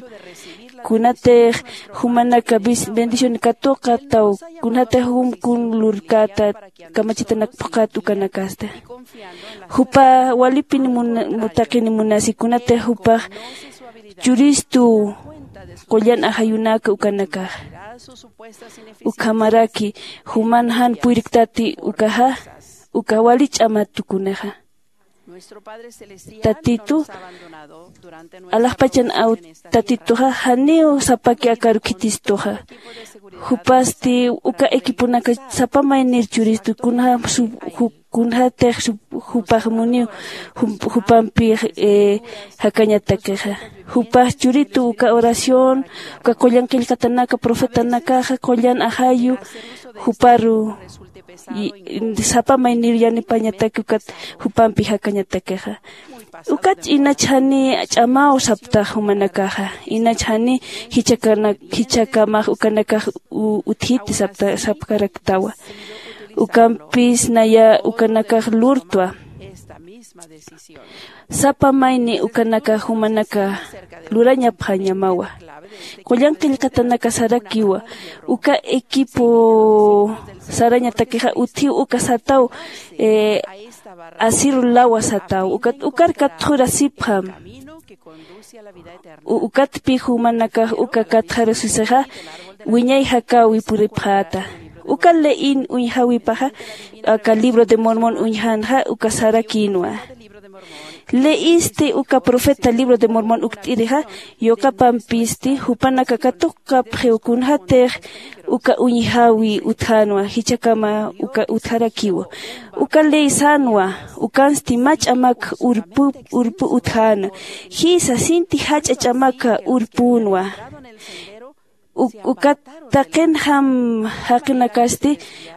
Kunatix jumanaka bendición katuqataw kunjatix jum kun lurkäta kamachitanak phuqhat ukanakasta. Jupa walipin taqini munasi kunatix jupax churistu qullan ajayunaka ukanakaxa. Ukhamaraki juman jan puyriktati ukaxa uka wali ch'amat tukunixa. Tatitu alaxpachan aw tatituxa janiw sapaki akaru khitistuxa. Jupasti uka equiponaka sapa maynir churistu kunjatix jupax muniw jupampix jakañatakixa. Jupax churitu uka oración uka qullan qillqatanaka profetanakaxa qullan ajayu juparu Sapa maynir yanipañataki ukat jupampi jakañatakixa. Ukat inach jani ch'amaw saptax jumanakaxa. Inach jani jichakana jichakamax ukanakax utjiti sapta sapkaraktawa. Ukampis naya ukanakax lurtwa. Sapa mayni ukanakax jumanaka lurañapxañamawa. Qullan qillqatanaka sarakiwa. Uka equipo sarañatakixa utjiw uka sataw asiru lawa sataw ukat ukar katxurasipxam. Ukatpix jumanakax uka katxarusisaxa wiñay jakäwi puripxäta. Uka leyin uñjäwipaxa aka libro de mormón uñjänxa uka sarakïnwa. Leyisti uka profeta libro de mormón ukt'irixa yuqapampisti jupanaka katuqkapxiw kunjatix uka uñjäwi utjänwa jichhakama uka utjarakiwa. Uka ley sänwa ukansti mä ch'amak urpu urpu utjäna. Jïsa sinti jach'a ch'amaka urpünwa. Ukat taqinxam jaqinakasti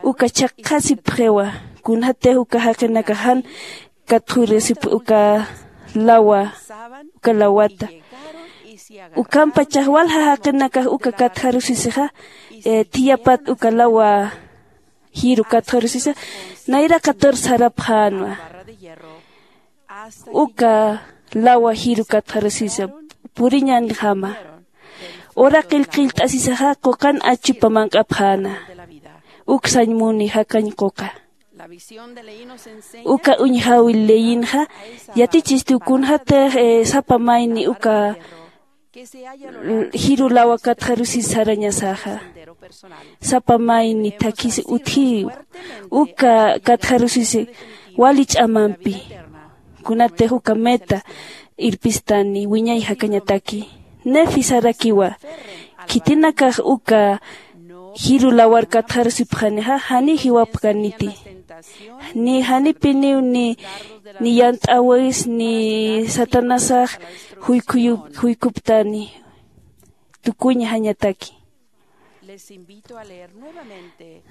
uka chhaqhasipxiwa. Kunjatix uka jaqinakax jan katxurasip uka lawa uka lawata. Ukhampachax walja jaqinakax uka katxarusisixa thiyapat uka lawa jiru katxarusisa nayraqatur sarapxänwa. Uka lawa jiru katxarusisa puriñänjama. Ura qillqillt'asisaxa quqan achupa manq'apxäna. Uk sañ muni jakañ quqa. Uka uñjäwi leyinxa yatichistiw kunjatix sapa mayni uka jiru lawa katxarusis sarañasaxa. Sapa mayni thakhisi utjiw uka katxarusisi wali ch'amampi. Kunatix uka meta irpistani wiñay jakañataki. Nefi sarakiwa. Khitinakax uka jiru lawar katxarusipxanixa janiy jiwapkaniti. Ni janipiniw ni ni yant'äwis ni satanasax juykuptani. Tukuñjañataki.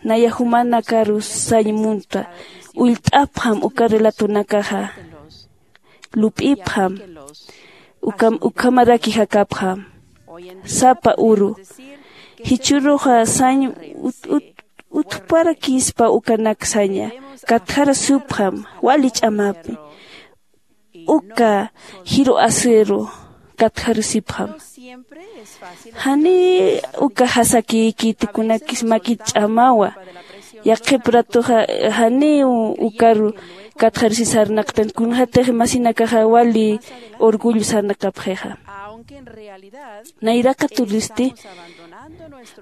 Naya jumanakaru sañ munta ullt'apxam uka relatonakaxa. Lup'ipxam. Ukhamaraki jakapxam. Sapa uru jichhüruxa sañ utjparakispa ukanak saña katxarasupxam. Wali ch'amapi uka jiru asiru katxarusipxam. Janiy uka jasakïkiti kunakis makit ch'amawa. Yaqhip ratuxa janiw ukaru katxarusi sarnaqtan kunjatix masinakaxa wali orgullo sarnaqapxixa. Nayraqaturisti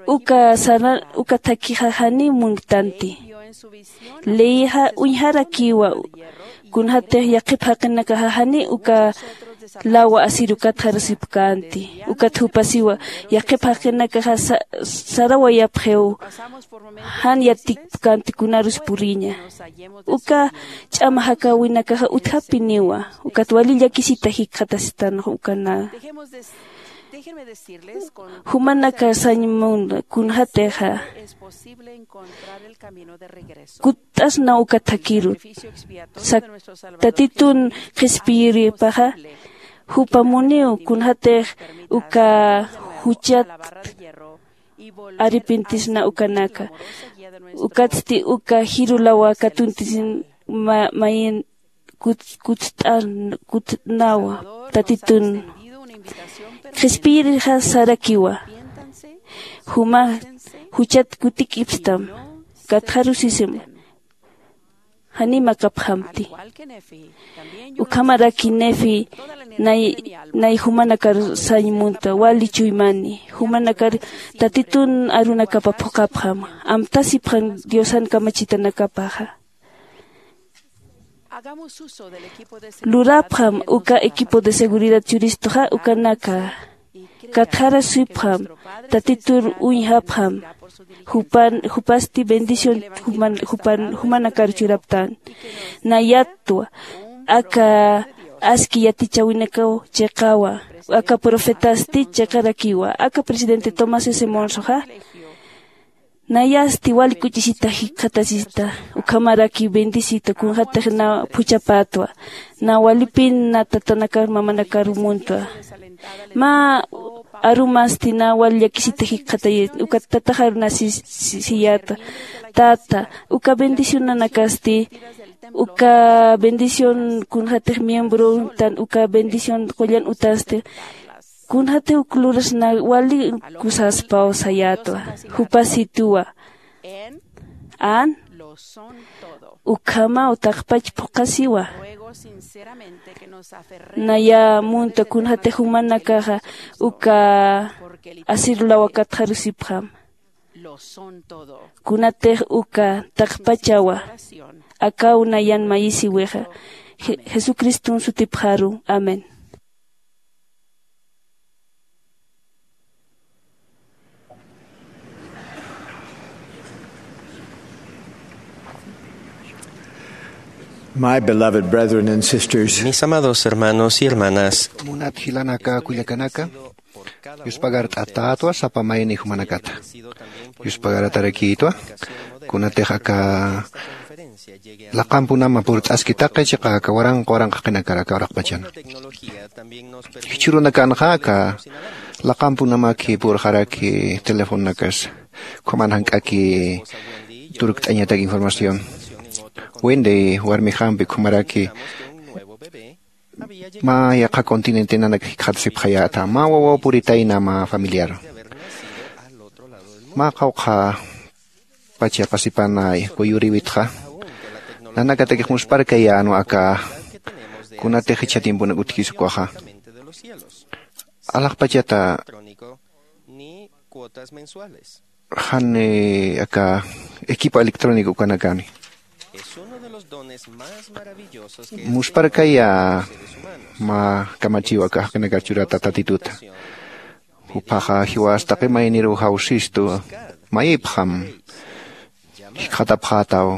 uka saran uka thakhixa janiw munktanti. Leyixa uñjarakiwa. Kunjatix yaqhip jaqinakaxa janiy uka lawa asiru katxarusipkänti. Ukat jupasiwa yaqhip jaqinakaxa sarawayapxiw. Jan yatikpkänti kunarus puriña. Uka ch'ama jakäwinakaxa utjapiniwa. Ukat wali llakisita jikxatasitanx ukana. Jumanaka sañ munda kunjatixa kutt'asna uka thakhirut. Tatitun qhispiyiripaxa jupa muniw kunjatix uka juchat arrepintisna ukanaka. Ukatsti uka jiru lawa katuntisin mayin kutt'anawa. Tatitun qhispiyirixa sarakiwa. Juma juchat kutik'ipstam. Katxarusisim janiy makapxamti. Ukhamaraki nefi nay nay jumanakar sañ munta wali chuymani. Jumanakar tatitun arunakapa phuqhapxam. Amtasipxam diosan kamachitanakapaxa. Lurapxam uka equipo de seguridad churistuxa ukanaka. Katxarasipxam. Tatitur uñjapxam. Jupasti bendición jumanakar churaptan. Nayatwa aka aski yatichäwinakaw chiqawa. Aka profetasti chiqarakiwa aka presidente tomás s monsoxa. Nayasti wali kuch'isita jikxatasista, ukhamaraki bendisita kunxatix na phuchhapätwa, na walipin na tatanakar mamanakar muntwa. Mä arumasti na wali llakisita jikxatayit uka tataxaru na si- si- siyäta. Tata, uka bendicionanakasti uka bendición kunxatix miembrontan uka bendición qullan utasti, kunxatix uk luras na wali kusaspaw sayätwa. Jupasituwa an ukhamaw taqpach phuqhasiwa. Naya munta kunxatix jumanakaxa uka asirulawa katxarusipxam. Kunatix uka taqpachawa. Akaw nayan mayisiwixa. Je- jesucriston sutipxaru. Amén. My beloved brethren and sisters, mis amados hermanos y hermanas, munat jilanaka kullakanaka, yuspagart'atätwa sapa mayni jumanakata. Yuspagaratarakïtwa kunatix aka laqampunama purt'aski taqi chiqa aka waranqa waranqa qinakar aka uraqpachana. Jichhürunakanxa aka laqampunamakhi purxaraki telefononakas ukhaman jank'aki turkt'añatak información. Wendy warmixampi ukhamaraki mä yaqha continentenanak jikxatasipxayäta mä wawaw puritayna mä familiar. Mä qawqha pacha pasipan kuyuriwitxa nanakatakix muspharkayänwa aka kunatix jichha tiemponak utjkis ukwaxa. Alaxpachata jan aka equipo electrónico ukanakani muspharkaya mä kamachiw aka jaqinakar churata tatituta. Juphaxa jiwas taqi mayniruw jawsistu mayipxam jikxatapxätaw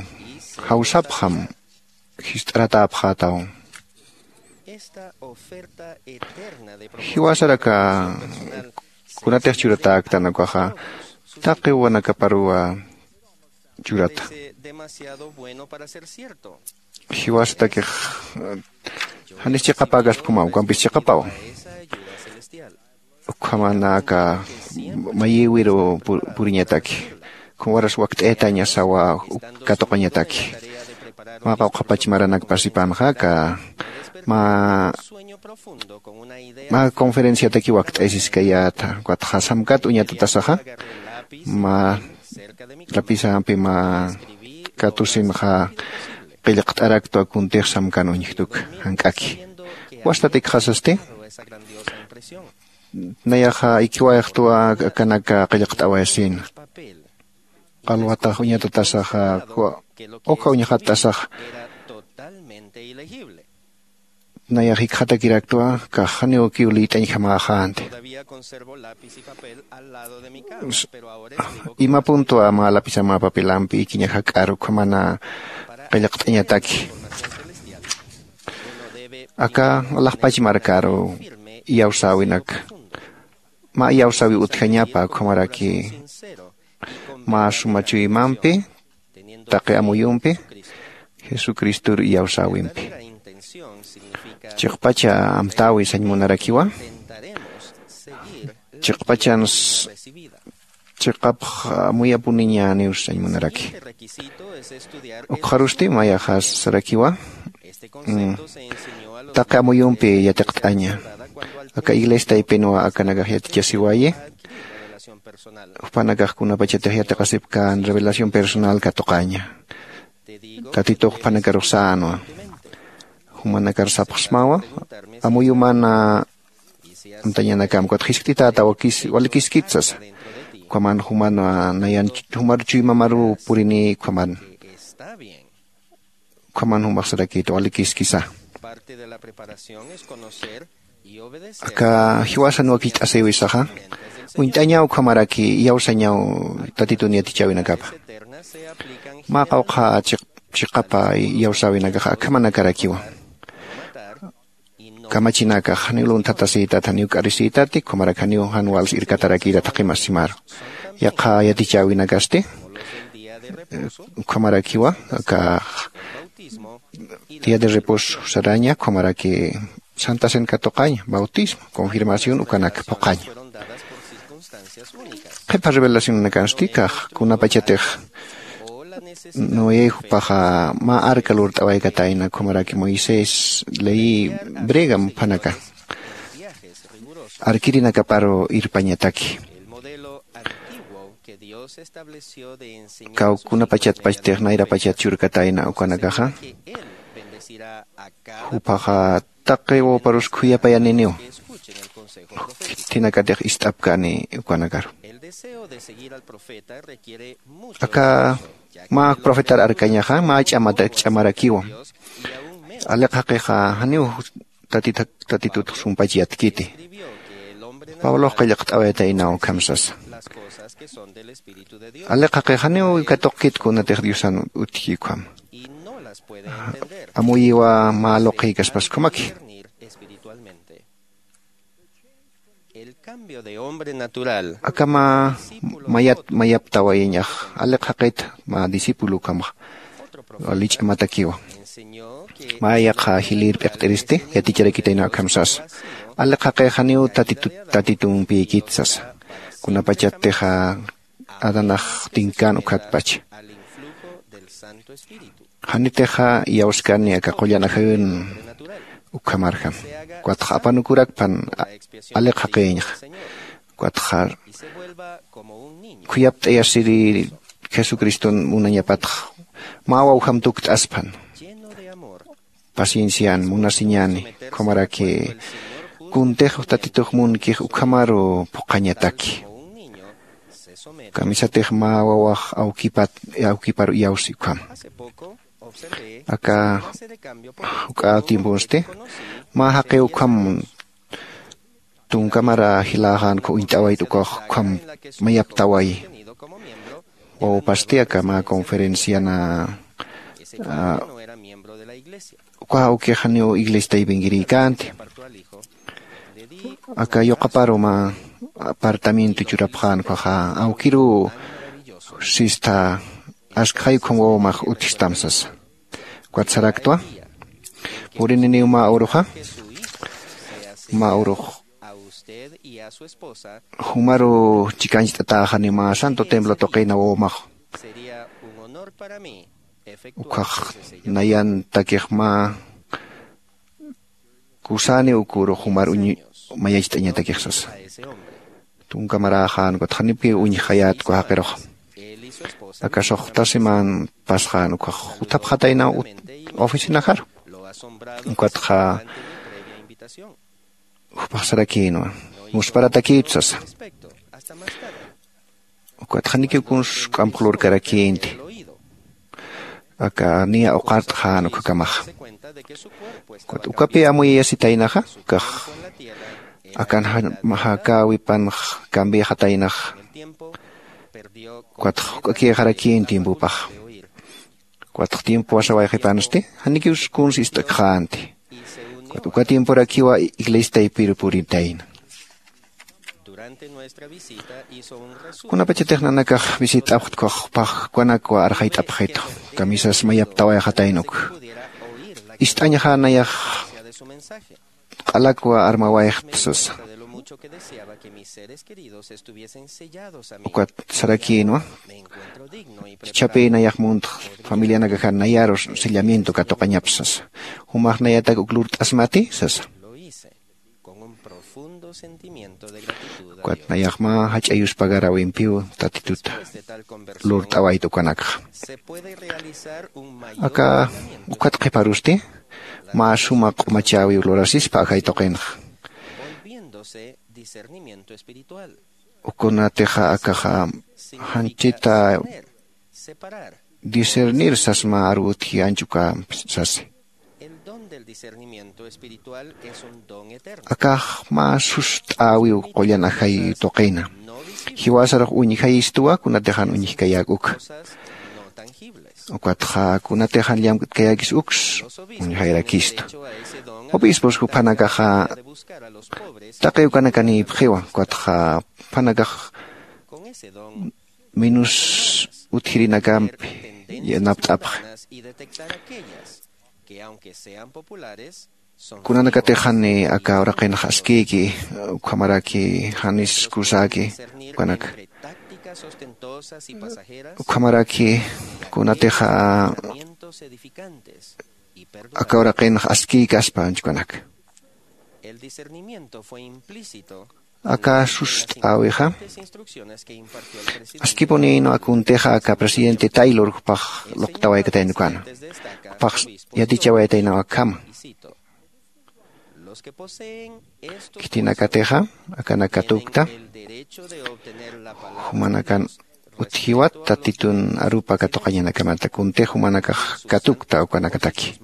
jawsapxam jist'aratäpxätaw. Jiwasaraka kunatix churatäktan ukaxa taqi wanakaparuwa churata. Jiwasatakix janis chiqapäkaspa ukhamaw ukampis chiqapaw. Ukhamanaka mayïwiru puriñataki ukham waras wakt'ayatañasawa katuqañataki. Mä qawqha pachmaranak pasipanxa aka mä mä conferenciataki wakt'aysiskayäta ukatxa samkat uñatatasaxa mä lapisampi mä katusinxa qillqt'araktwa kuntix samkan uñjtuk jank'aki. Wastatikxasasti nayaxa ikiwayxtwa akanaka qillqt'awayasina. Qalwatax uñatatasaxa ukha uñxattasaxa nayax jikxatakiraktwa kax janiw ukiw liyt'añjamäxänti. Ima punto ama lapisama papelampi ikiña jak'ar ukhamana qillqt'añataki aka alaxpach markaru iyawsäwinak mä iyawsäwi utjañapa ukhamaraki mä suma chuymampi taqi amuyumpi jesucristor iyawsäwimpi. Chiqpacha amtäwi sañ munarakiwa chiqpachan chiqapx amuyapuniñäniw sañ munaraki. Ukxarusti mayaxasarakiwa taqi amuyumpi yatiqt'aña aka iglesia taypinwa akanakax yatichasiwayi. Jupanakax kunapachatix yatiqasipkän revelación personal katuqaña tatitux jupanakarux sänwa. Jumanakar sapxsmawa amuyumana amtañanakam ukat jiskt'itäta wakiskitkit sasa. Ukhaman juman nayan jumar chuymamaruw purini ukhaman ukhaman jumaxsarakïta walikiskisa. Aka jiwasan wakicht'asïwisaxa uñt'añaw ukhamaraki iyawsañaw tatitun yatichäwinakapa. Mä qawqha chiqapa iyawsäwinakaxa akhamanakarakiwa. Kamachinakax janiw lunthatasïtat janiw k'arisïtati ukhamarak janiw jan wals irkatarakïta taqi masimaru. Yaqha yatichäwinakasti, eh, ukhamarakiwa aka día de reposo saraña, ukhamaraki santa cena katuqaña, bautismo, confirmación ukanak phuqaña. Qhipa revelacionanakansti kax kunapachatix Noé jupaxa mä arca lurt'awaykatayna, ukhamaraki Moisés ley hebrea muphanaka arkirinakaparu irpañataki. Kaw kunapachatpachtix nayrapachat churkatayna ukanakaxa, juphaxa taqi wawparus khuyapayaniniw, khitinakatix ist'apkani ukanakaru. Aka mä profetar arkañaxa mä ch'amata ch'amarakiwa. Aliq jaqixa janiw tatitut sumpach yatkiti. Pablox qillqt'awayataynaw ukham sasa. Aliq jaqix janiw katuqkit kunatix diosan utjki ukham. Amuyiwa mä luqhïkaspas ukhamaki. Akama mayat mayaptawayañax aliq jaqit mä discípulo ukhamax wali ch'amatakiwa. Mä yaqha jilïr p'iqt'iristi yaticharakitayna ukham sasa. Aliq jaqix janiw tatitumpïkit sasa. Kunapachattixa adanax tinkän ukhatpacha, janitixa iyawskani aka qullan ajayun ukhamarjam. Ukatxa apanukurakpan aliq jaqïñxa. Ukatxa khuyapt'ayasiri jesucriston munañapatxa mä wawjam tukt'asphan. Paciencian munasiñani ukhamaraki kuntix tatitux munkix ukhamaru phuqhañataki. Kamisatix mä wawax awkiparu iyawsi ukham. Aka juk'a tiemponsti mä jaqiw ukham tunkamara jiläxän uñt'awayt ukax ukham mayaptaway. Wawpasti aka mä conferenciana uka awkix janiw iglesitaypingirïkänti. Aka yuqaparu mä apartamiento churapxän ukaxa awkiruw sista askxay ukham wawmax utjstam sasa. Ukat saraktwa purininiw mä uruxa mä urux jumaru chikancht'atäxani mä santo templo tuqina wawmax. Ukhax nayantakix mä kusani ukuru jumar uñ mayacht'añatakix sasa. Tunka maräxän ukat janipki uñjayät uka jaqirux. Aka suxta semän pasxän ukax juthapxatayna oficinaxaru. Ukatxa jupax sarakïnwa, musparatakïtu sasa. Ukat janikiw kuns k'amqlurkarakïnti. Aka niya uqart'xän ukhakamaxa. Ukat ukapï amuyayasitaynaxa ukax akan jakäwipanx cambiaxataynaxa. Ukatx juk'akïxarakïn tiempopaxa. Ukatx tiempo wasawayxipansti janikiw kuns ist'akxänti. Ukat uka tiemporakiwa iglesitaypiru puritayna. Kunapachatix nanakax visit'apxtku jupax jukanakwa arxayt'apxitu. Kamisas mayaptawayxatayna uk ist'añxänayax q'alakwa armawayxt sasa. Ukat sarakïnwa, chhapïnayax muntx familianakaxa nayaru sellamiento katuqañapsa sasa. Jumax nayatak uk lurt'asmati sasa. Ukat nayaxma jach'a yuspagarawimpiw tatituta lurt'awayta ukanakxa. Aka ukat qhiparusti mä suma q'umachäwiw lurasispa ajay tuqinxa. Ukunatixa akaxa janchita discernir sasma aru utji anchuka sasi. Akax mä sust'äwiw qullan ajay tuqina. Jiwasarux uñjayistuwa kunatixan uñjkayäk uka. Ukatxa kunatixan llamk'tkayäkis uks uñjayrakistu. Obispos juphanakaxa taqi ukanakanïpxiwa ukatxa juphanakax minus utjirinakampi yanapt'apxi. Kunanakatix jani aka uraqinx askïki, ukhamaraki janis kusäki ukanaka, ukhamaraki kunatixa aka uraqinx askïkaspa anchhukanaka. Aka sust'äwixa askipunïnwa kuntixa aka presidente Taylor jupax luqtawaykatayna ukana, jupax yatichawayataynaw akhama. Khitinakatixa akanak katukta jumanakan utjiwat tatitun arupa katuqañanakamata kuntix jumanakax katukta ukanakataki,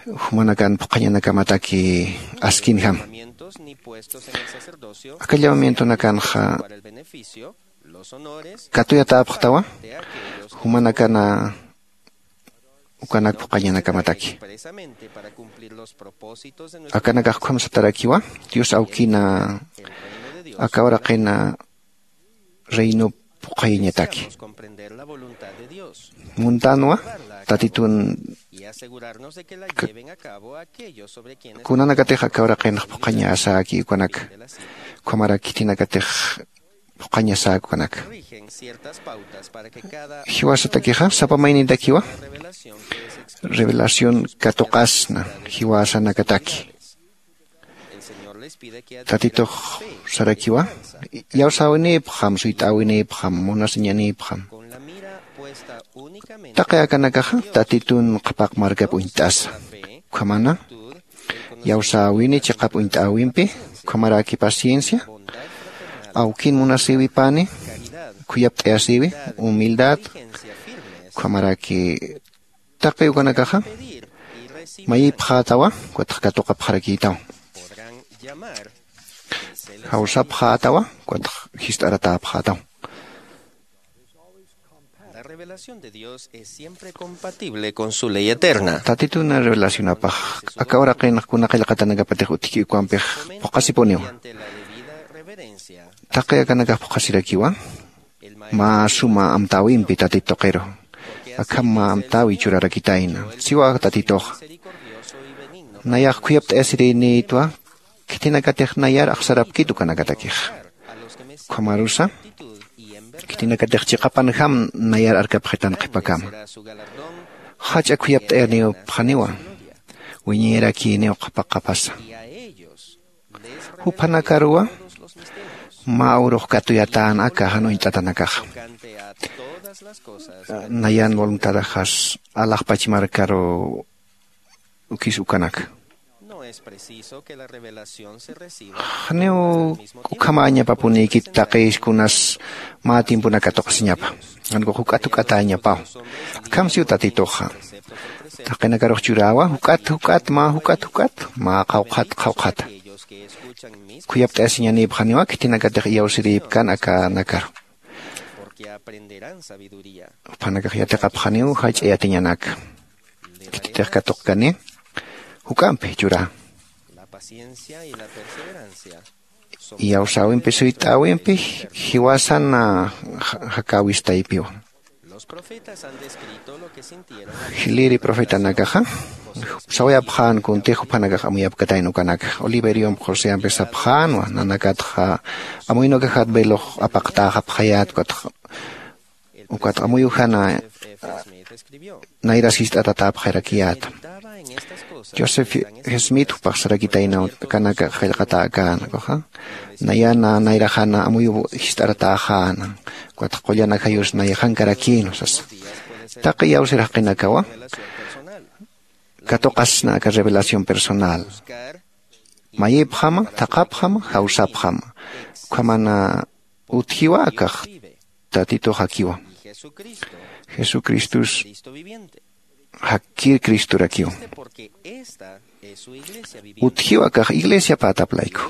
jumanakan phuqhañanakamataki askinjama. Aka llamamientonakanxa katuyatäpxtawa jumanakana ukanak phuqhañanakamataki. Akanakax ukham satarakiwa, Dios awkina aka uraqina reinop phuqhayañataki. Muntanwa tatitun kunanakatix aka uraqinx phuqhañasäki ukanaka, ukhamaraki khitinakatix phuqhañasäki ukanaka. Jiwasatakixa sapa maynintakiwa revelación katuqasna jiwasanakataki. Tatitux sarakiwa, iyawsäwinïpxam, suyt'äwinïpxam, munasiñanïpxam. Taqi akanakaxa tatitun qhapaq markap uñt'asa, ukhamana iyawsäwini chiqap uñt'äwimpi, ukhamaraki paciencia, awkin munasïwipani, khuyapt'ayasïwi, humildad, ukhamaraki taqi ukanakaxa mayipxätawa, ukatx katuqapxarakïtaw. Jawsapxätawa, ukatx jist'aratäpxätaw. Tatituna revelacionapax aka uraqinx kuna qillqatanakapatix utjki ukampix phuqhasipuniwa. Taqi akanakax phuqhasirakiwa mä suma amtäwimpi tatit tuqiru. Akham mä amtäwi churarakitayna, siwa tatituxa. Nayax khuyapt'ayasirïnïtwa khitinakatix nayar axsarapkit ukanakatakixa. Ukhamarusa khitinakatix chiqapanjam nayar arkapxitan qhipakama. Jach'a khuyapt'ayanïpxaniwa, wiñayarakïniw qhapaqapasa. Juphanakaruwa mä urux katuyatän aka jan uñt'atanakaxa. Nayan voluntadaxas alaxpach markaru ukis ukanaka. Janiw ukhamañapapunïkit taqis kunas mä tiemponak katuqasiñapa. Jankux juk'at juk'atäñapaw. Akham siw tatituxa taqinakarux churäwa, juk'at juk'at mä juk'at juk'at mä qhawqhat qhawqhata. Khuyapt'ayasiñanïpxaniwa khitinakatix iyawsirïpkan akanakaru. Juphanakax yatiqapxaniw jach'a yatiñanaka. Khititix katuqkani juk'ampi churä. Iyawsäwimpi suyt'äwimpi jiwasan jakäwistaypiwa. Jiliri profetanakaxa sawayapxän kuntix juphanakax amuyapkatayna ukanaka. Oliveriomp joseampi sapxänwa, nanakatxa amuynukaxat velox apaqtäxapxayät, ukatxa ukat amuyujana nayras jist'atatäpxarakiyäta. Joseph Smith jupax sarakitaynaw kanaka qillqatäkäna ukaxa, nayana nayraxana amuyuw jist'aratäxäna, ukat qullan ajayus nayxankarakïnwa sasa. Taqi iyawsir jaqinakawa katuqasna aka revelación personal. Mayipxama, thaqhapxama, jawsapxama. Ukhamana utjiwa akax tatitux jakiwa. Jesucristus jakir Cristorakiw. Utjiwa akax iglesiapätap layku.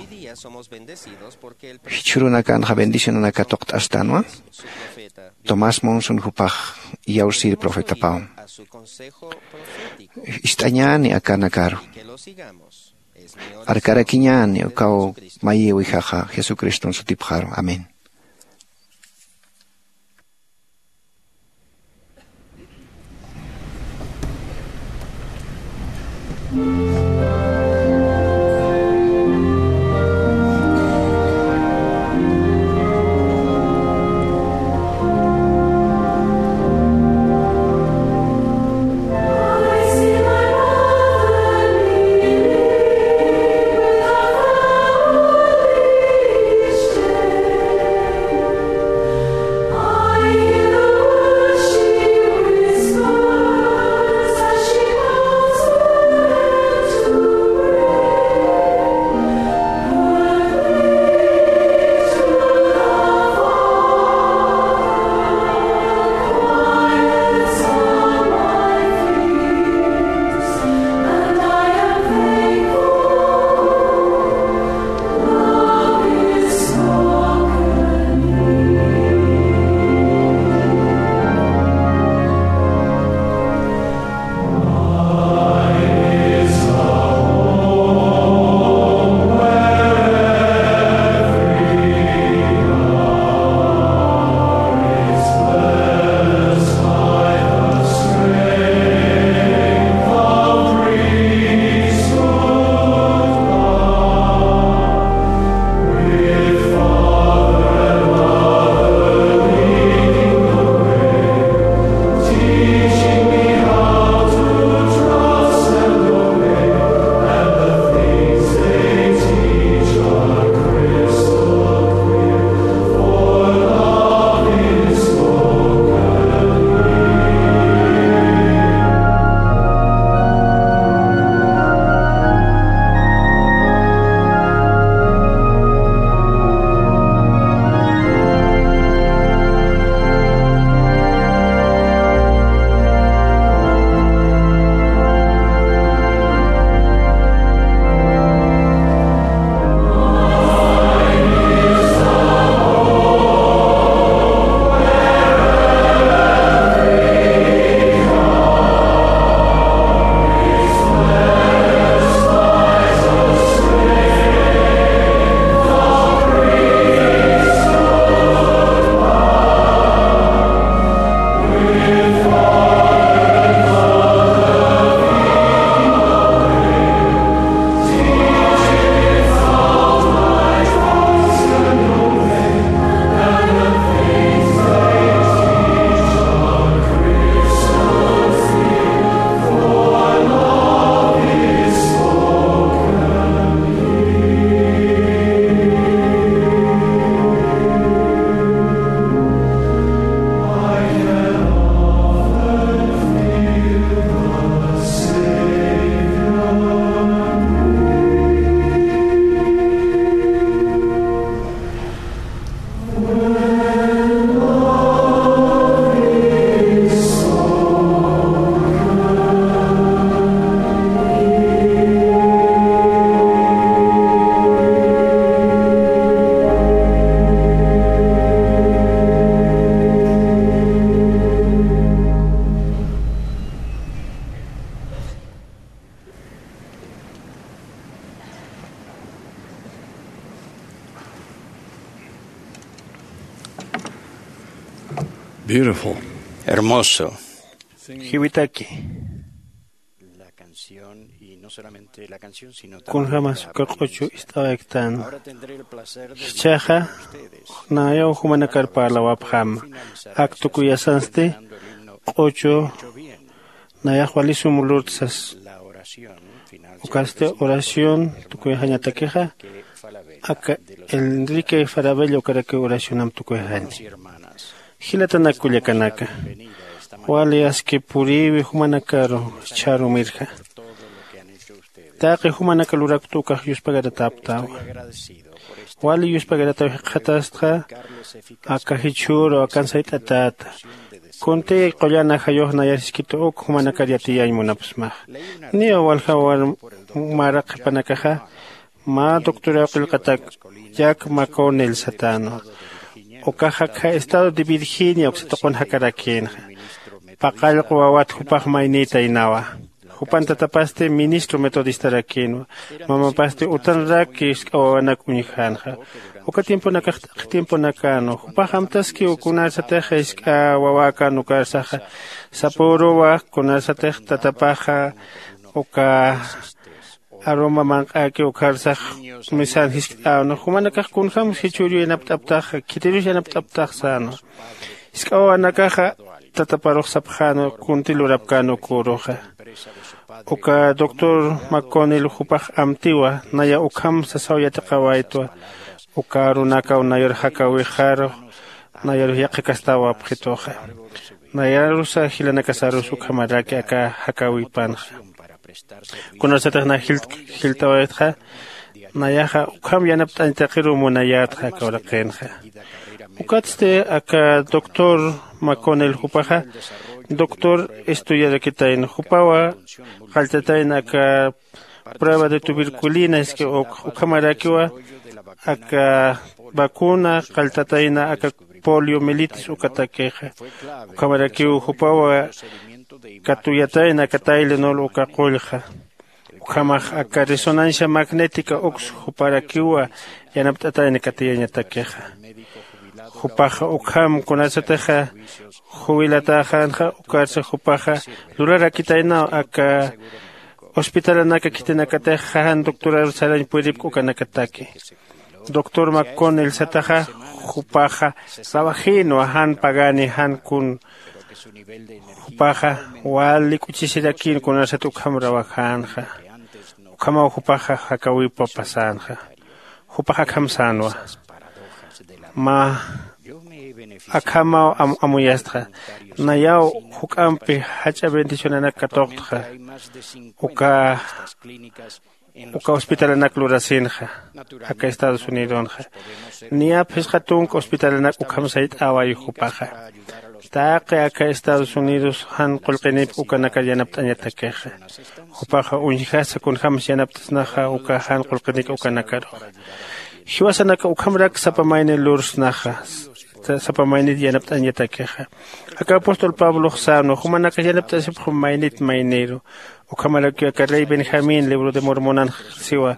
Jichhürunakanxa bendicionanak katuqt'astanwa. Tomás Monson jupax iyawsir profetapaw. Ist'añäni akanakaru. Arkarakiñäni ukaw mayïwijaxa Jesucriston sutipxaru. Amén. Beautiful. Hermoso. Jiwitaki. La canción, y no solamente la canción, sino también kunjamas la uka q'uchu ist'awayktan. Ahora tendré el placer de jichhaxa, nayaw jumanakar parlawapxam. Ak tukuyasansti q'uchu nayax walisum lurtsas. Ukasti oración tukuyxañatakixa, aka Enrique Farabella ukarakiw oracionam tukuyxaña. Jilatanak kullakanaka, wali aski puriwi jumanakaru chharumirja. Taqi jumanaka luraktu ukax yuspagarataptawa. Wali yuspagarataw jikxatastxa, aka jichhüru akan sayt'atäta. Kunti qullan ajayux nayar jiskitu uk jumanakar yatiyañ munapxsmax. Niya walja war mara qhipanakaxa, mä doctoraw qillqatak Jack McConnell satänwa. Ukax akha estado de Virginia uksa tuqun jakarakïnxa. Paqallqu wawat jupax maynïtaynawa. Jupan tatapasti ministro metodistarakïnwa. Mamapasti utanraki jisk'a wawanak uñjänxa. Uka tiemponakax t'aqhi tiemponakänwa. Jupax amtaskiw kunarsatix jisk'a wawäkän ukarsaxa sapüruwa, kunarsatix tatapaxa uka aruma manq'äki ukharsax misan jiskt'äwna. Jumanakax kunjämsa jichhüru yanapt'aptaxa, khitirus yanapt'aptax sänwa. Jisk'a wawanakaxa tataparux sapxänwa kunti lurapkän uküruxa. Uka doctor McConnell jupax amtiwa, naya ukham sasaw yatiqawaytwa. Uka arunakaw nayar jakäwixarux, nayarux yaqhikastäwapxituxa. Nayarusa jilanakasarus ukhamaraki aka jakäwipanxa. Kunarsatix na jilt'awaytxa, nayaxa ukham yanapt'añ taqiruw munayätxa aka uraqinxa. Ukatsti aka doctor McConnell jupaxa doctor estudiarakitayna, jupawa qalltatayna aka prueba de tuberculina, es que uk ukhamarakiwa aka vacuna qalltatayna aka poliomielitis ukatakixa. Ukhamarakiw jupawa katuyatayna aka Tylenol uka qullxa. Ukhamax aka resonancia magnética uks juparakiwa yanapt'atayna katiyañatakixa. Jupaxa ukham kunasatixa jubilatäxänxa, ukarsa jupaxa lurarakitaynaw aka hospitalanaka khitinakatix jan doctorar sarañ puyripk ukanakataki. Doctor McConnell sataxa, jupaxa rawajïnwa jan pagani jan kun. Jupaxa wali k'uchisirakïn kunarsat ukham rawajänxa. Ukhamaw jupaxa jakäwipa pasänxa. Jupax akham sänwa. Mä akhamaw am- amuyastxa. Nayaw juk'ampi jach'a bendicionanak katuqtxa. Uka uka hospitalanak lurasinxa aka Estados Unidonxa. Niya phisqa tunka hospitalanak ukham sayt'äwayi jupaxa. Taqi aka Estados Unidos jan qullqinip ukanakar yanapt'añatakixa. Jupaxa uñjasa kunjämsa yanapt'asnaxa uka jan qullqinik ukanakaruxa. Jiwasanaka ukhamrak sapa mayni lursnaxa, sapa maynit yanapt'añatakixa. Aka apóstol Pablox sänwa, jumanakax yanapt'asipxam maynit mayniru. Ukhamarakiw aka rey Benjamín libro de Mormonanx siwa,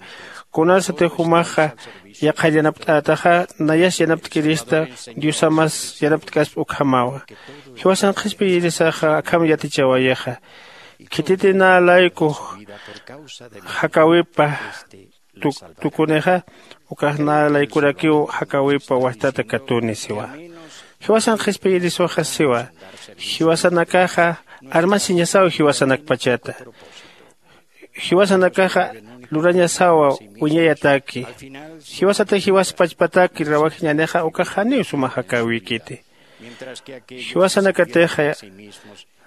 kunarsatix jumaxa yaqhar yanapt'ätaxa, nayas yanaptkirista, Diosamas yanaptkaspa ukhamawa. Jiwasan qhispiyirisaxa akham yatichawayixa. Khititi nä layku jakäwipa tuk- tukunixa, ukax nä laykurakiw jakäwipa wajtata katuni siwa. Jiwasan qhispiyiriswaxa siwa, jiwasanakaxa armasiñasaw jiwasanakpachata. Jiwasanakaxa lurañasawa wiñayataki. Jiwasatix jiwas pachpataki rawajiñänixa ukax janiw suma jakäwikiti. Jiwasanakatixa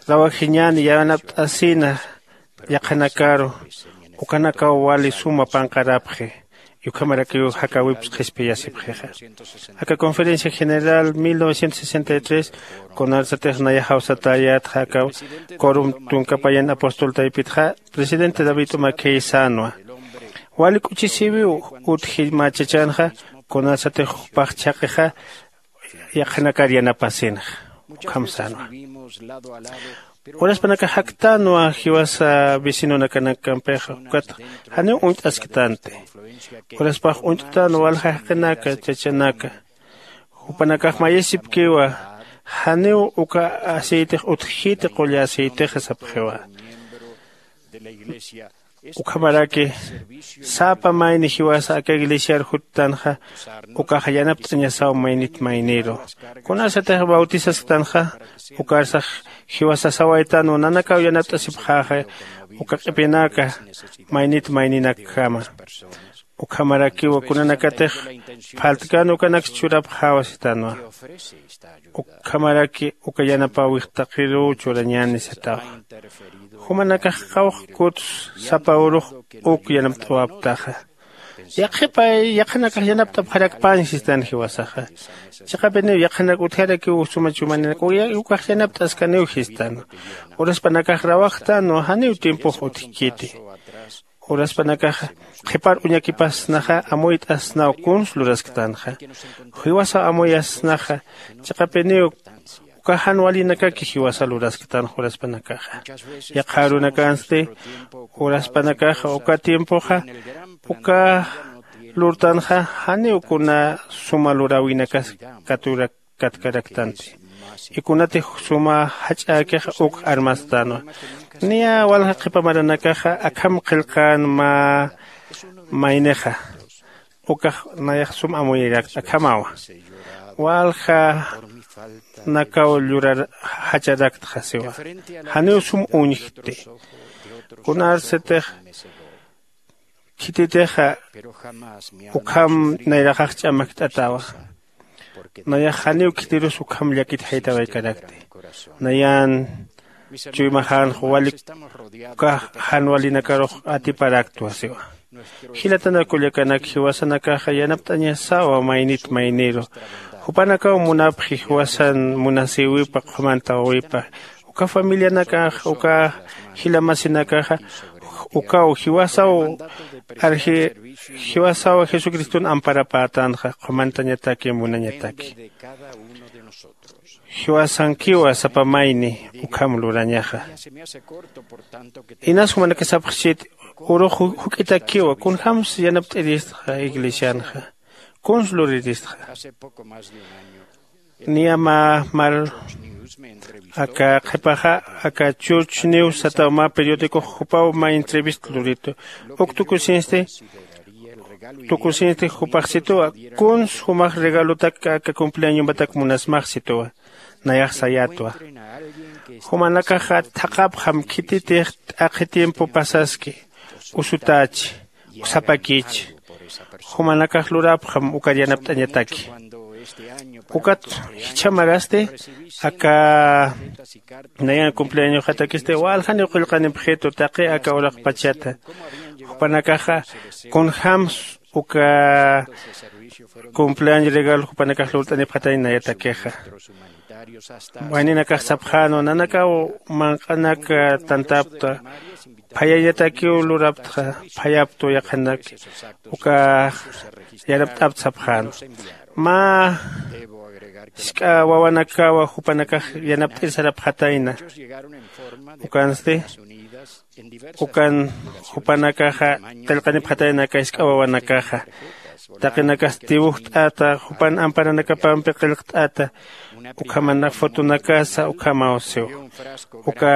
rawajiñäni yanapt'asina yaqhanakaru, ukanakaw wali suma panqarapxi. Ukhamarakiw jakäwips qhispiyasipxixa. Aka Conferencia General mil novecientos sesenta y tres kunarsatix nayaxaw satäyätxa aka quorum tunka payan apóstol taypitxa, presidente David Umakey sänwa, wali k'uchisiwiw utji mä chachanxa, kunarsatix jupax chhaqixa yaqhanakar yanapasinxa. Ukham sänwa. Uraspanakax jaktänwa jiwasa vecinonakanakkampixa, ukat janiw uñt'asktanti. Uraspax uñt'tänwa walja jaqinaka, chachanaka. Jupanakax mayisipkiwa janiw uka aceitix utjkiti qulla aceitixa sapxiwa. Ukhamaraki sapa mayni jiwasa aka iglesiar juttanxa ukaxa yanapt'añasaw maynit mayniru. Kunasatix bautisasktanxa ukarsax jiwasasawaytanwa nanakaw yanapt'asipxäxa uka q'ipinaka maynit mayninakjama. Ukhamarakiwa kunanakatix phaltkan ukanaks churapxäwa sitanwa. Ukhamaraki uka yanapäwix taqiruw churañäni satawa. Jumanakax qawqkuts sapa urux uk yanapt'awaptaxa. Yaqhipay yaqhanakax yanapt'apxarakpañ sistan jiwasaxa. Chiqapiniw yaqhanak utjarakiw suma chumaninaka ukax yanapt'askaniw sistan. Uraspanakax rawajtanwa janiw tiempox utjkiti. Uraspanakaxa qhipar uñakipasnaxa amuyt'asnaw kuns lurasktanxa. Jiwasaw amuyasnaxa chiqapiniw uka jan walinakaki jiwasa lurasktanxa uraspanakaxa. Yaqha arunakansti uraspanakaxa uka tiempoxa uka lurtanxa janiw kuna suma luräwinakas katurak katkaraktanti. Ikunatix suma jach'äkixa uk armastanwa. Niya walja qhipa maranakaxa akham qillqän mä maynixa ukax nayax sum amuyirakt akhamawa. Walja nakaw llurar jacharaktxa siwa. Janiw sum uñjkti. Kunarsitix khititixa ukham nayraxax ch'amakt'atawa. Nayax janiw khitirus ukham llakit jaytawaykarakti. Nayan chuymaxänx walik uka jan walinakarux atiparaktwa siwa. Jilatanak kullakanak jiwasanakaxa yanapt'añasawa maynit mayniru. Jupanakaw munapxi jiwasan munasïwipa qhumantäwipa. Uka familianakax uka jila masinakaxa ukaw jiwasaw arji jiwasaw jesucriston amparapätanxa qhumantañataki munañataki. Jiwasankiwa sapa mayni ukham lurañaxa. Inas jumanakasapxchit urux juk'itakiwa kunjämsa yanapt'iristxa iglesianxa kuns luriristxa. Niya mä mar aka qhipaxa aka church news sataw mä periodicox jupaw mä entrevista luritu. Uk tukusinsti tukusinsti jupaxsituwa kuns jumax regalotak aka cumpleañomatak munasmaxsituwa. Nayax sayätwa jumanakaxa thaqhapxam khititix t'aqhi tiempo pasaski usutächi usapakïchi. Jumanakax lurapxam ukar yanapt'añataki. Ukat jichhamarasti aka nayan cumpleañoxatakisti waljaniw qullqanipxitu taqi aka uraqpachata. Jupanakaxa kunjäms uka cumpleaño regalo jupanakax lurt'anipxatañ nayatakixa. Wayninakax sapxänwa nanakaw manq'anak tantapta phayañatakiw luraptxa phayaptwa yaqhanak ukax yanapt'apt sapxänwa. Mä jisk'a wawanakawa jupanakax yanapt'ir sarapxatayna. Ukansti ukan jupanakaxa qillqanipxatayna aka jisk'a wawanakaxa. Taqinakas tiwujt'ata jupan amparanakapampi qillqt'ata. Ukhamanak fotonakasa ukhamaw siw uka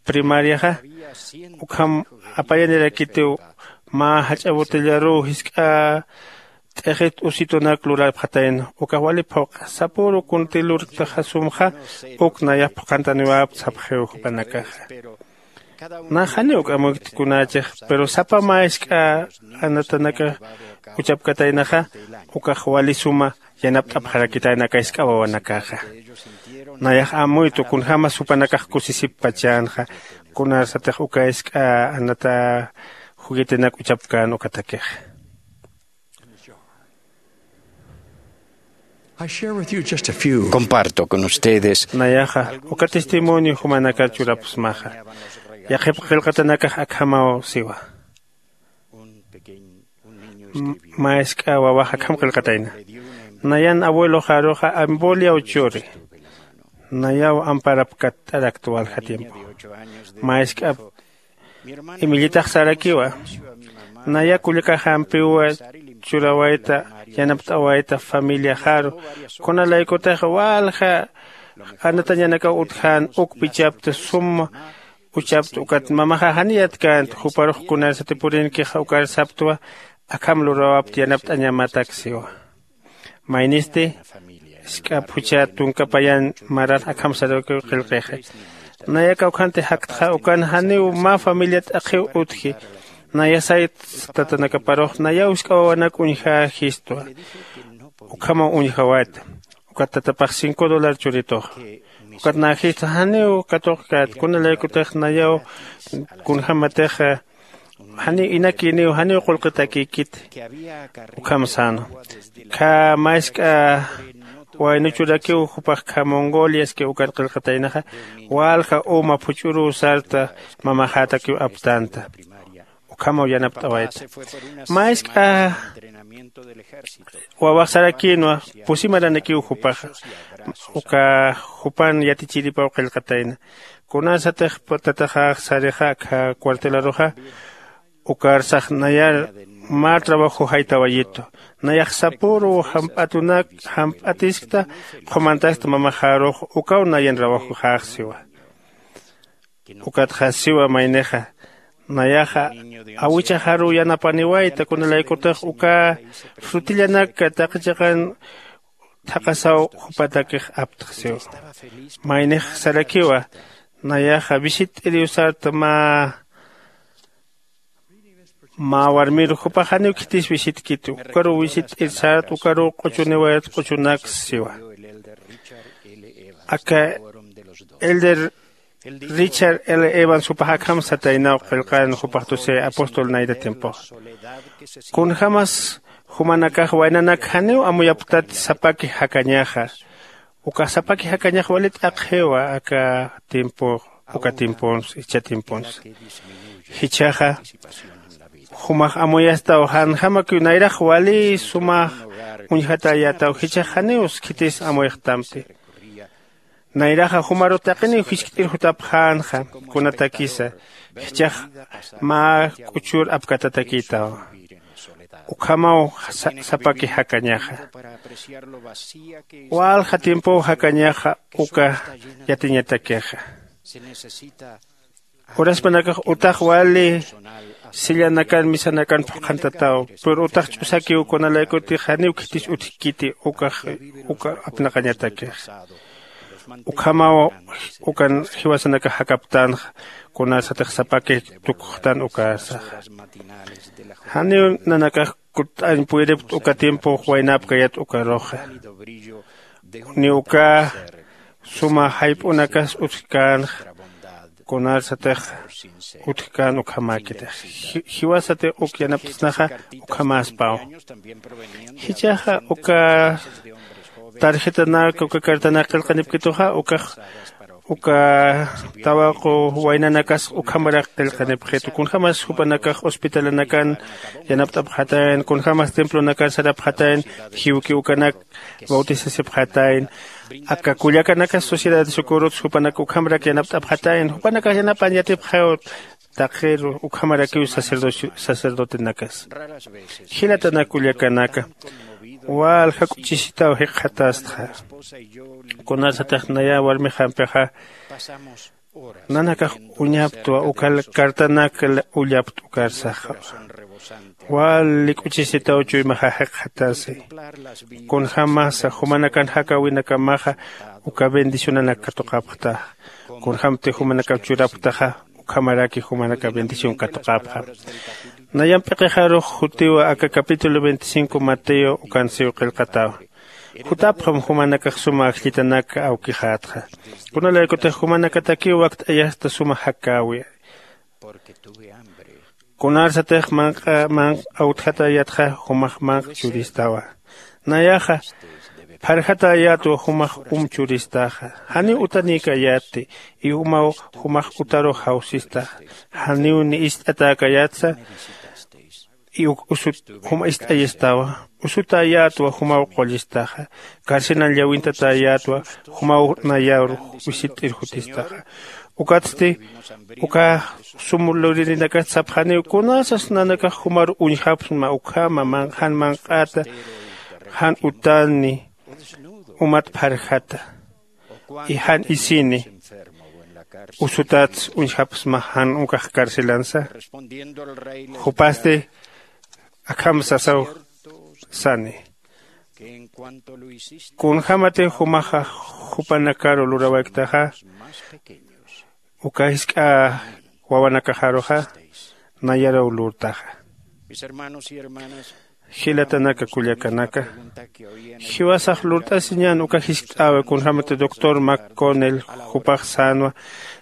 primariaxa ukham apayanirakitiw mä jach'a botellaruw jisk'a t'ixit usitunak lurapxatayna ukax wali phuq'a sapüru kunti lurktaxa sumxa uk nayax phuqhantaniwäpt sapxiw jupanakaxa. Nax janiw k'amuykti kunächix pero sapa mä jisk'a anatanakax uchapkataynaxa ukax wali suma yanapt'apxarakitayna aka jisk'a wawanakaxa. Nayax amuytu kunjämas jupanakax kusisipachänxa kunarsatix uka jisk'a anata juguetenak uchapkän ukatakixa. Comparto con ustedes. Nayaxa uka testimonio jumanakat churapxsmaxa. Yaqhip qillqatanakax akhamaw siwa. Mä jisk'a wawax akham qillqatayna. Nayan abueloxaruxa amboliaw churi. Nayaw amparapkatt'arakta walja tiempo. Mä jisk'ap imillitax sarakiwa. Naya kullakaxampiwa churawayta yanapt'awayta familiaxaru. Kunalaykutax walja Anatañanakaw utjän uk pichapta sum uchapta ukat mamaxa janiyatkänta juparux kunarsati purinkixa ukar saptwa. Akham lurawapta yanapt'añamatak siwa. Maynisti isk'ap jucha tunka payan marar akham sarakiw qillqixa. Nayaka ukhanti jaktxa ukan janiw mä familia t'aqhiw utji. Nayasayt tatanakaparux nayaw isk'a wawanak uñjäjistwa. Ukhamaw uñjawayta. Ukat tatapax cinco dólar churituxa. Ukat näjista janiw katuqkät kunalaykutix nayaw kunjämatix janiw inakïniw janiw qullqitakïkiti. Ukham säna. Khä mä isk'a waynuchurakiw jupax khä mongoliaski ukat qillqataynaxa. Walja uma phuch'uruw sarta mamaxätakiw aptänta. Ukhamaw yanapt'awayta. Mä isk'a wawax sarakïnwa pusi maranakiw jupaxa. Uka jupan yatichiripaw qillqatayna. Kunarsatix tataxax sarixa akha cuartelaruxa ukarsax nayar mä trabajo jaytawayitu. Nayax sapüruw jamp'atunak jamp'atiskta qhumantaskta mamaxarux ukaw nayan trabajoxäx siwa. Ukatxa siwa maynixa nayaxa awichaxaruw yanapaniwayta kunalaykutix uka frutillanak taqi chiqan thaqasaw jupatakix aptx siwa. Maynix sarakiwa nayaxa visitt'iriw sarta mä mä warmir jupax janiw khitis visitkiti ukaruw visitt'ir sart ukaruw q'uchuniwayat q'uchunak siwa. Aka elder richard l evans jupax akham sataynaw qillqan jupax tusi apóstol nayra tiempoxa. Kunjämas jumanakax waynanak janiw amuyapktat sapaki jakañaxa. Ukax sapaki jakañax wali t'aqhiwa aka tiempo uka tiemponsa jichha tiemponsa. Jichhaxa jumax amuyastaw janjamakiw nayrax wali sumax uñjatäyätaw jichhax janiw khitis amuyxtamti. Nayraxa jumaru taqiniw jiskt'ir jutapxänxa kunatakisa jichhax mä k'uchur apkatatakïtawa. Ukhamaw sapaki jakañaxa walja tiempow jakañaxa uka yatiñatakixa. Uraspanakax utax wali sillanakan misanakan phuqhantataw pero utax ch'usakiw kunalaykutix janiw khitis utjkiti ukax uka apnaqañatakix. Ukhamaw ukan jiwasanakax jakaptänxa kunarsatix sapakix tukuxtan ukarsaxa. Janiw nanakax kutt'añ puyripkt uka tiempox waynäpkayat ukaruxa. Ni uka suma jayp'unakas utjkänxa kunarsatix utjkän ukhamäkitix. Jiwasatix uk yanapt'snaxa ukhamäspaw. Jichhaxa uka tarjetanak uka cartanak qillqanipkituxa ukax uka tawaqu waynanakas ukhamarak qillqanipxitu kunjämas jupanakax hospitalanakan yanapt'apxatayan kunjämas templonakan sarapxatayan jiwki ukanak bautisasipxatayan. Aka kullakanakas sociedad de socorrots jupanak ukhamarak yanapt'apxatayan jupanakax yanapan yatipxaw. Taqiru ukhamarakiw sacerdocio sacerdotenakas jilatanak kullakanaka walja k'uchisitaw jikxatastxa. Kunarsatix naya warmixampixa nanakax uñaptwa uka cartanak ullaptwa ukarsaxa. Wali k'uchisitaw chuymaxa jikxatasi kunjämasa jumanakan jakäwinakamaxa uka bendicionanak katuqapxtaxa. Kunjämti jumanakaw churapktaxa ukhamaraki jumanakaw bendición katuqapxam. Nayamp p'iqixarux jutiwa aka capítulo veinticinco mateo ukansiw qillqatawa. Jutapxam jumanakax suma ajllitanak awkixätxa kunalaykutix jumanakatakiw wakt'ayasta suma jakäwi. Kunarsatix manq'a manq'a awtjatäyätxa jumax manq'a churistawa. Nayaxa pharjatäyätwa jumax um churistaxa. Janiw utanïkayätti y umaw jumax utarux jawsistaxa. Janiw ni ist'atäkayätsa y uk usut juma ist'ayistawa. Usutäyätwa jumaw qullistaxa. Carcelan llawintatäyätwa jumaw nayar wisitt'ir jutistaxa. Ukatsti uka sum luririnakat sapxaniw kunasas nanakax jumar uñjapxsma ukhama jan manq'ata jan utani umat pharjata. Jan isini usutats uñjapsma jan ukax carcelansa. Jupasti akham sasaw sani, kunjämati jumaxa jupanakaru lurawaytaxa, uka jisk'a wawanakaxaruxa nayaruw lurtaxa. Jilatanaka kullakanaka, jiwasax lurt'asiñän uka jiskt'äwi kunjämati doctor McConnell jupax sänwa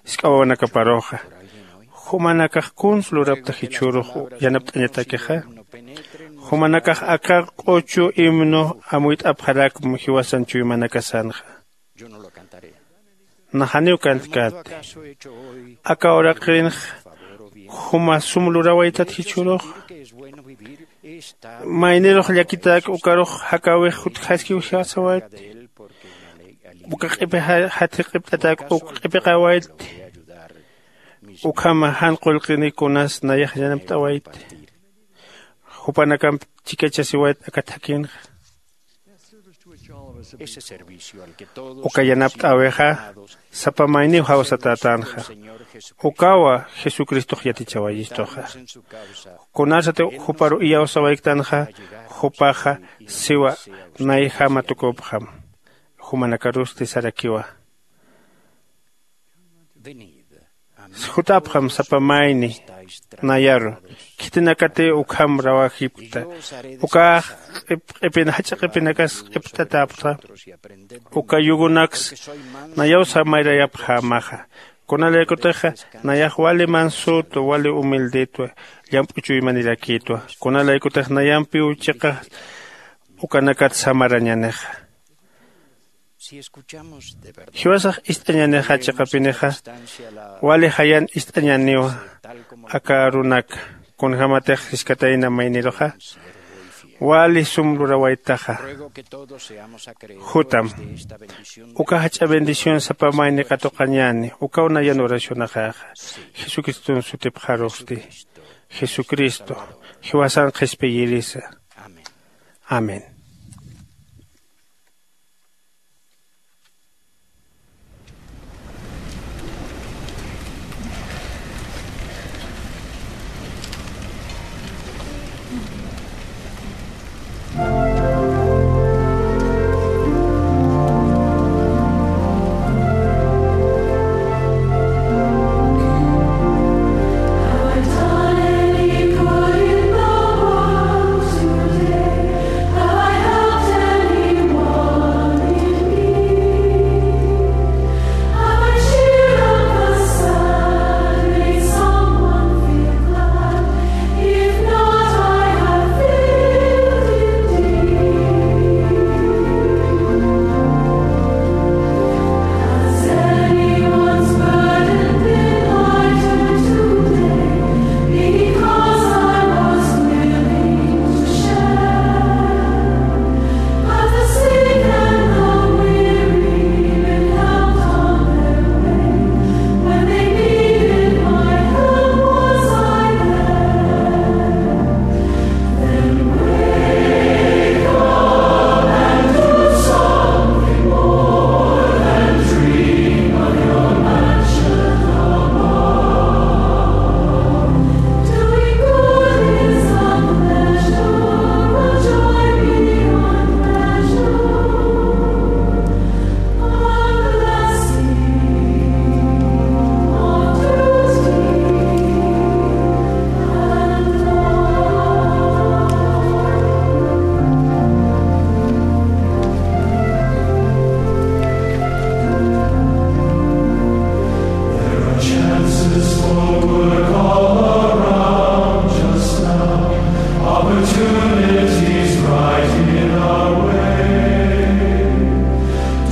jisk'a wawanakaparuxa. Jumanakax kuns lurapta jichhürux yanapt'añatakixa? Jumanakax aka q'uchu himno amuyt'apxarakma jiwasan chuymanakasanxa. Naxaniw kantkäti. Aka uraqinx juma sum lurawaytat jichhürux. Maynirux llakitak ukarux jakäwix jutjaskiw jiwasawayt. Uka q'ipi jatji q'ipt'atak uk q'ipiqawayt. Ukhama jan qullqini kunas nayax yanapt'awayt. Jupanakamp chikachasiwayt aka thakhinxa. Uka yanapt'äwixa sapa mayniw jawsatätänxa. Ukawa jesucristox yatichawayistuxa. Kunasati juparu iyawsawayktanxa, jupaxa siwa nayjama tukupxam. Jumanakarusti sarakiwa. Jutapxam sapa mayni nayaru, khitinakati ukham rawajipkta. Ukax q'ipin jach'a q'ipinakas q'ipt'atäpxta. Uka yugunaks nayaw samayrayapxämaxa. Kunalaykutixa nayax wali mansütwa, wali humildetwa, llamp'u chuymanirakïtwa. Kunalaykutix nayampiw chiqa ukanakat samarañänixa. Jiwasax ist'añänixa chiqapinixa, wali jayan ist'añäniwa aka arunaka. Kunjämatix jiskatayna mayniruxa wali sum lurawaytaxa. Jutam. Uka jach'a bendición sapa mayni katuqañäni ukaw nayan oracionaxaxa. Jesucriston sutipxarusti. Jesucristo jiwasan qhispiyirisa. Amén. There are chances for work all around just now, opportunities right in our way.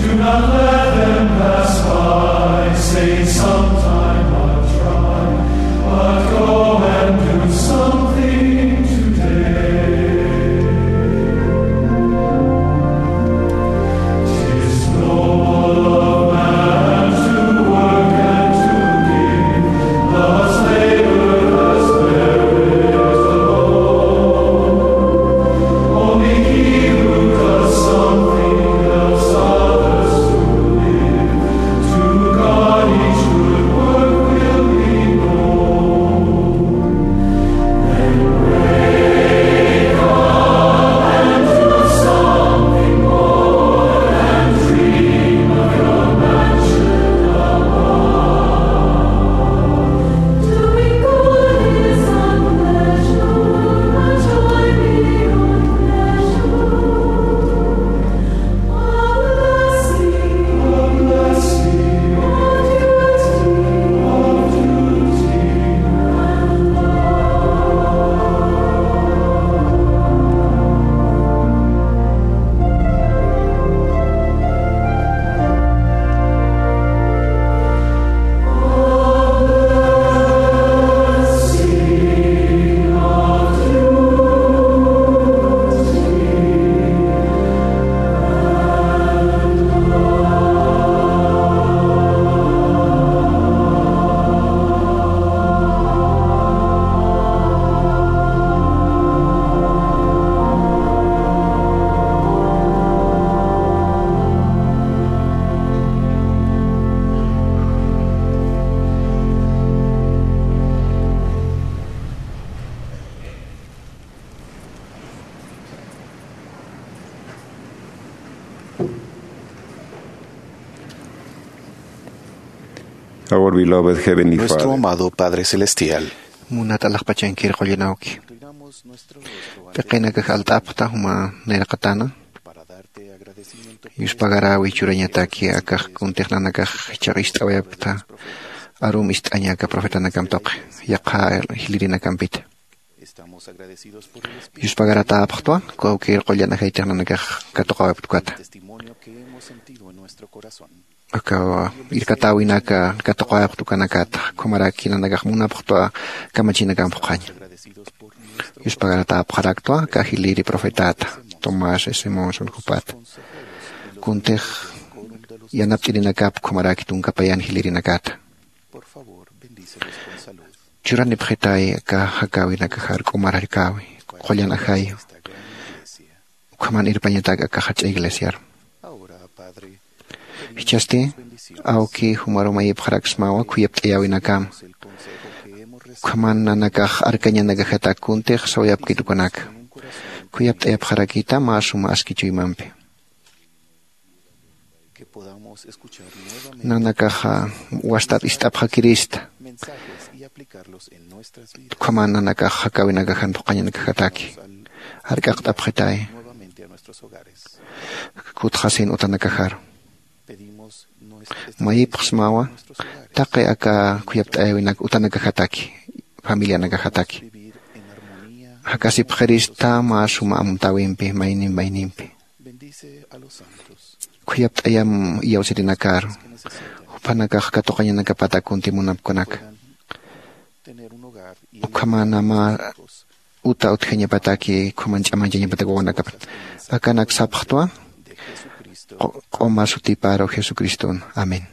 Do not let them pass by, say sometime I'll try, but go and do something today. Our beloved Heavenly Nuestro Father. Amado Padre Celestial. Munat alaxpachankir qullanawki. Inclinamos nuestro rostro ante P'iqinakax alt'apxta juma nayraqatana. Para darte agradecimiento por Yuspagaräwi churañataki akax kuntix nanakax jichhax ist'awayapkta. Arum ist'añaka profetanakam tuqi. Yaqha jilïrinakampita. Estamos agradecidos por el Espíritu Yuspagaratäpxtwa, kawkïr qullan ajaytix nanakax katuqawayapkta ukata. Testimonio que hemos sentido en nuestro corazón. Aka irkatäwinaka katuqawayapxta ukanakata, ukhamaraki nanakax munapxtwa kamachinakam phuqhaña. Agradecidos por nuestro Yuspagaratäpxaraktwa, aka jilïri profetata, Tomás S. Monson jupata. Kuntix yanapt'irinakap ukhamaraki tunka payan jilïrinakata. Por favor, bendícelos con salud. Churanipxitay aka jakäwinakaxar k'umar jarkäwi, qullan ajayu. Ukhaman irpañatak aka jach'a iglesiar. Ahora, Padre, Jichhasti, awki, jumaru mayipxaraksmawa khuyapt'ayäwinakam. Ukhaman nanakax arkañanakajatak kuntix sawayapkit ukanaka. Khuyapt'ayapxarakita mä suma aski chuymampi. Nanakaxa wastat ist'apxakirista. Ukhaman nanakax jakäwinakajan phuqhañanakajataki. Jark'aqt'apxitay. Kutxasin utanakajaru. Mayipxsmawa, taqi aka khuyapt'ayäwinak utanakajataki, familianakajataki. Jakasipxirista mä suma amtäwimpi, maynim maynimpi. Khuyapt'ayam iyawsirinakaru. Jupanakax katuqañanakapatak kunti munapkunaka. Ukhamanama uta utjañapataki, ukhaman ch'amañchañapatak wawanakapat. Akanak sapxtwa, q'uma sutiparu Jesucriston. Amén.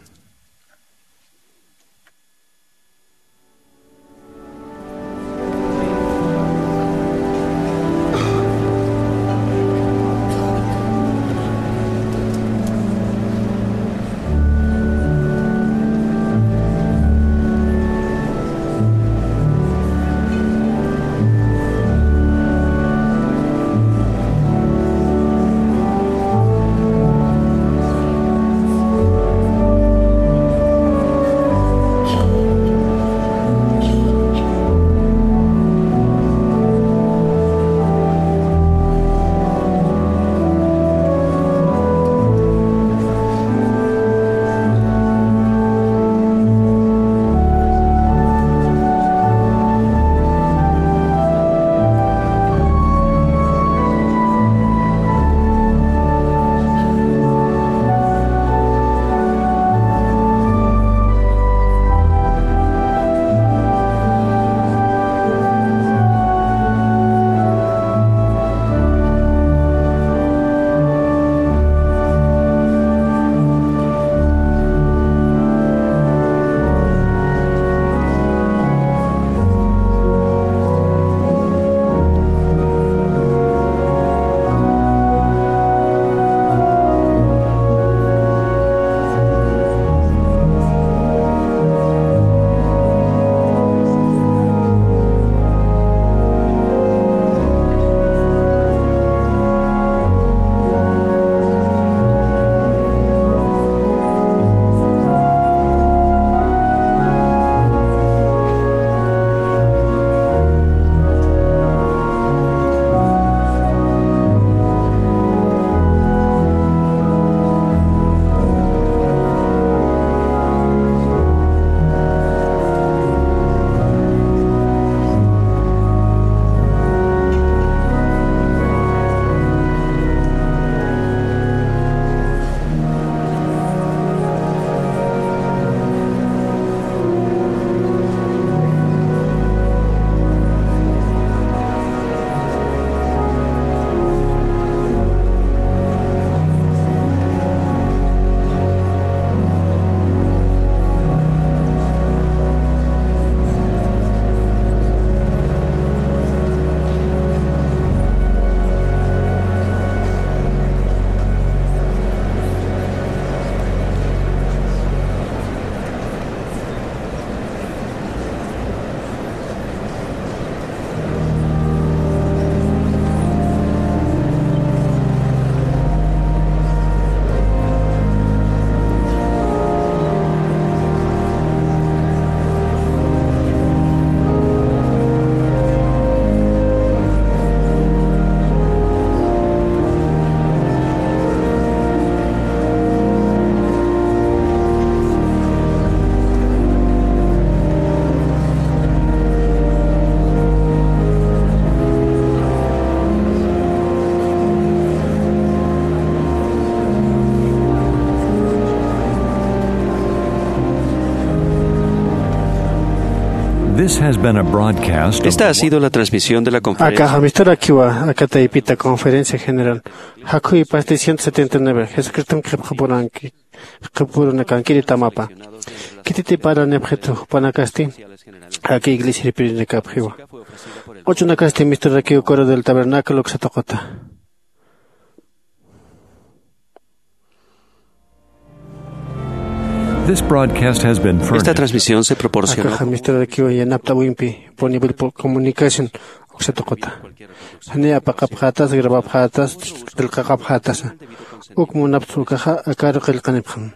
This has been a broadcast of Esta ha sido la transmisión de la conferencia. Akaxa misturakiwa aka taypita conferencia general. Jakhuy pasti ciento setenta y nueve. Jesucristom qhipxapuranki, qhipurunakankiri tamapa. Khititipara nipxitu jupanakasti aka iglesia irpirinakapxiwa. Ochunakasti misturakiw coro del tabernáculo uksatuquta. This broadcast has been Esta furnished. Transmisión se proporcionó. Akaxa misturakiwa yanapt'awimpi punibil comunicación uksatuquta. Jani apaqapxatas, grabapxatas, qillqaqapxatasa. Uk munaptsa ukaxa akaru qillqanipxam.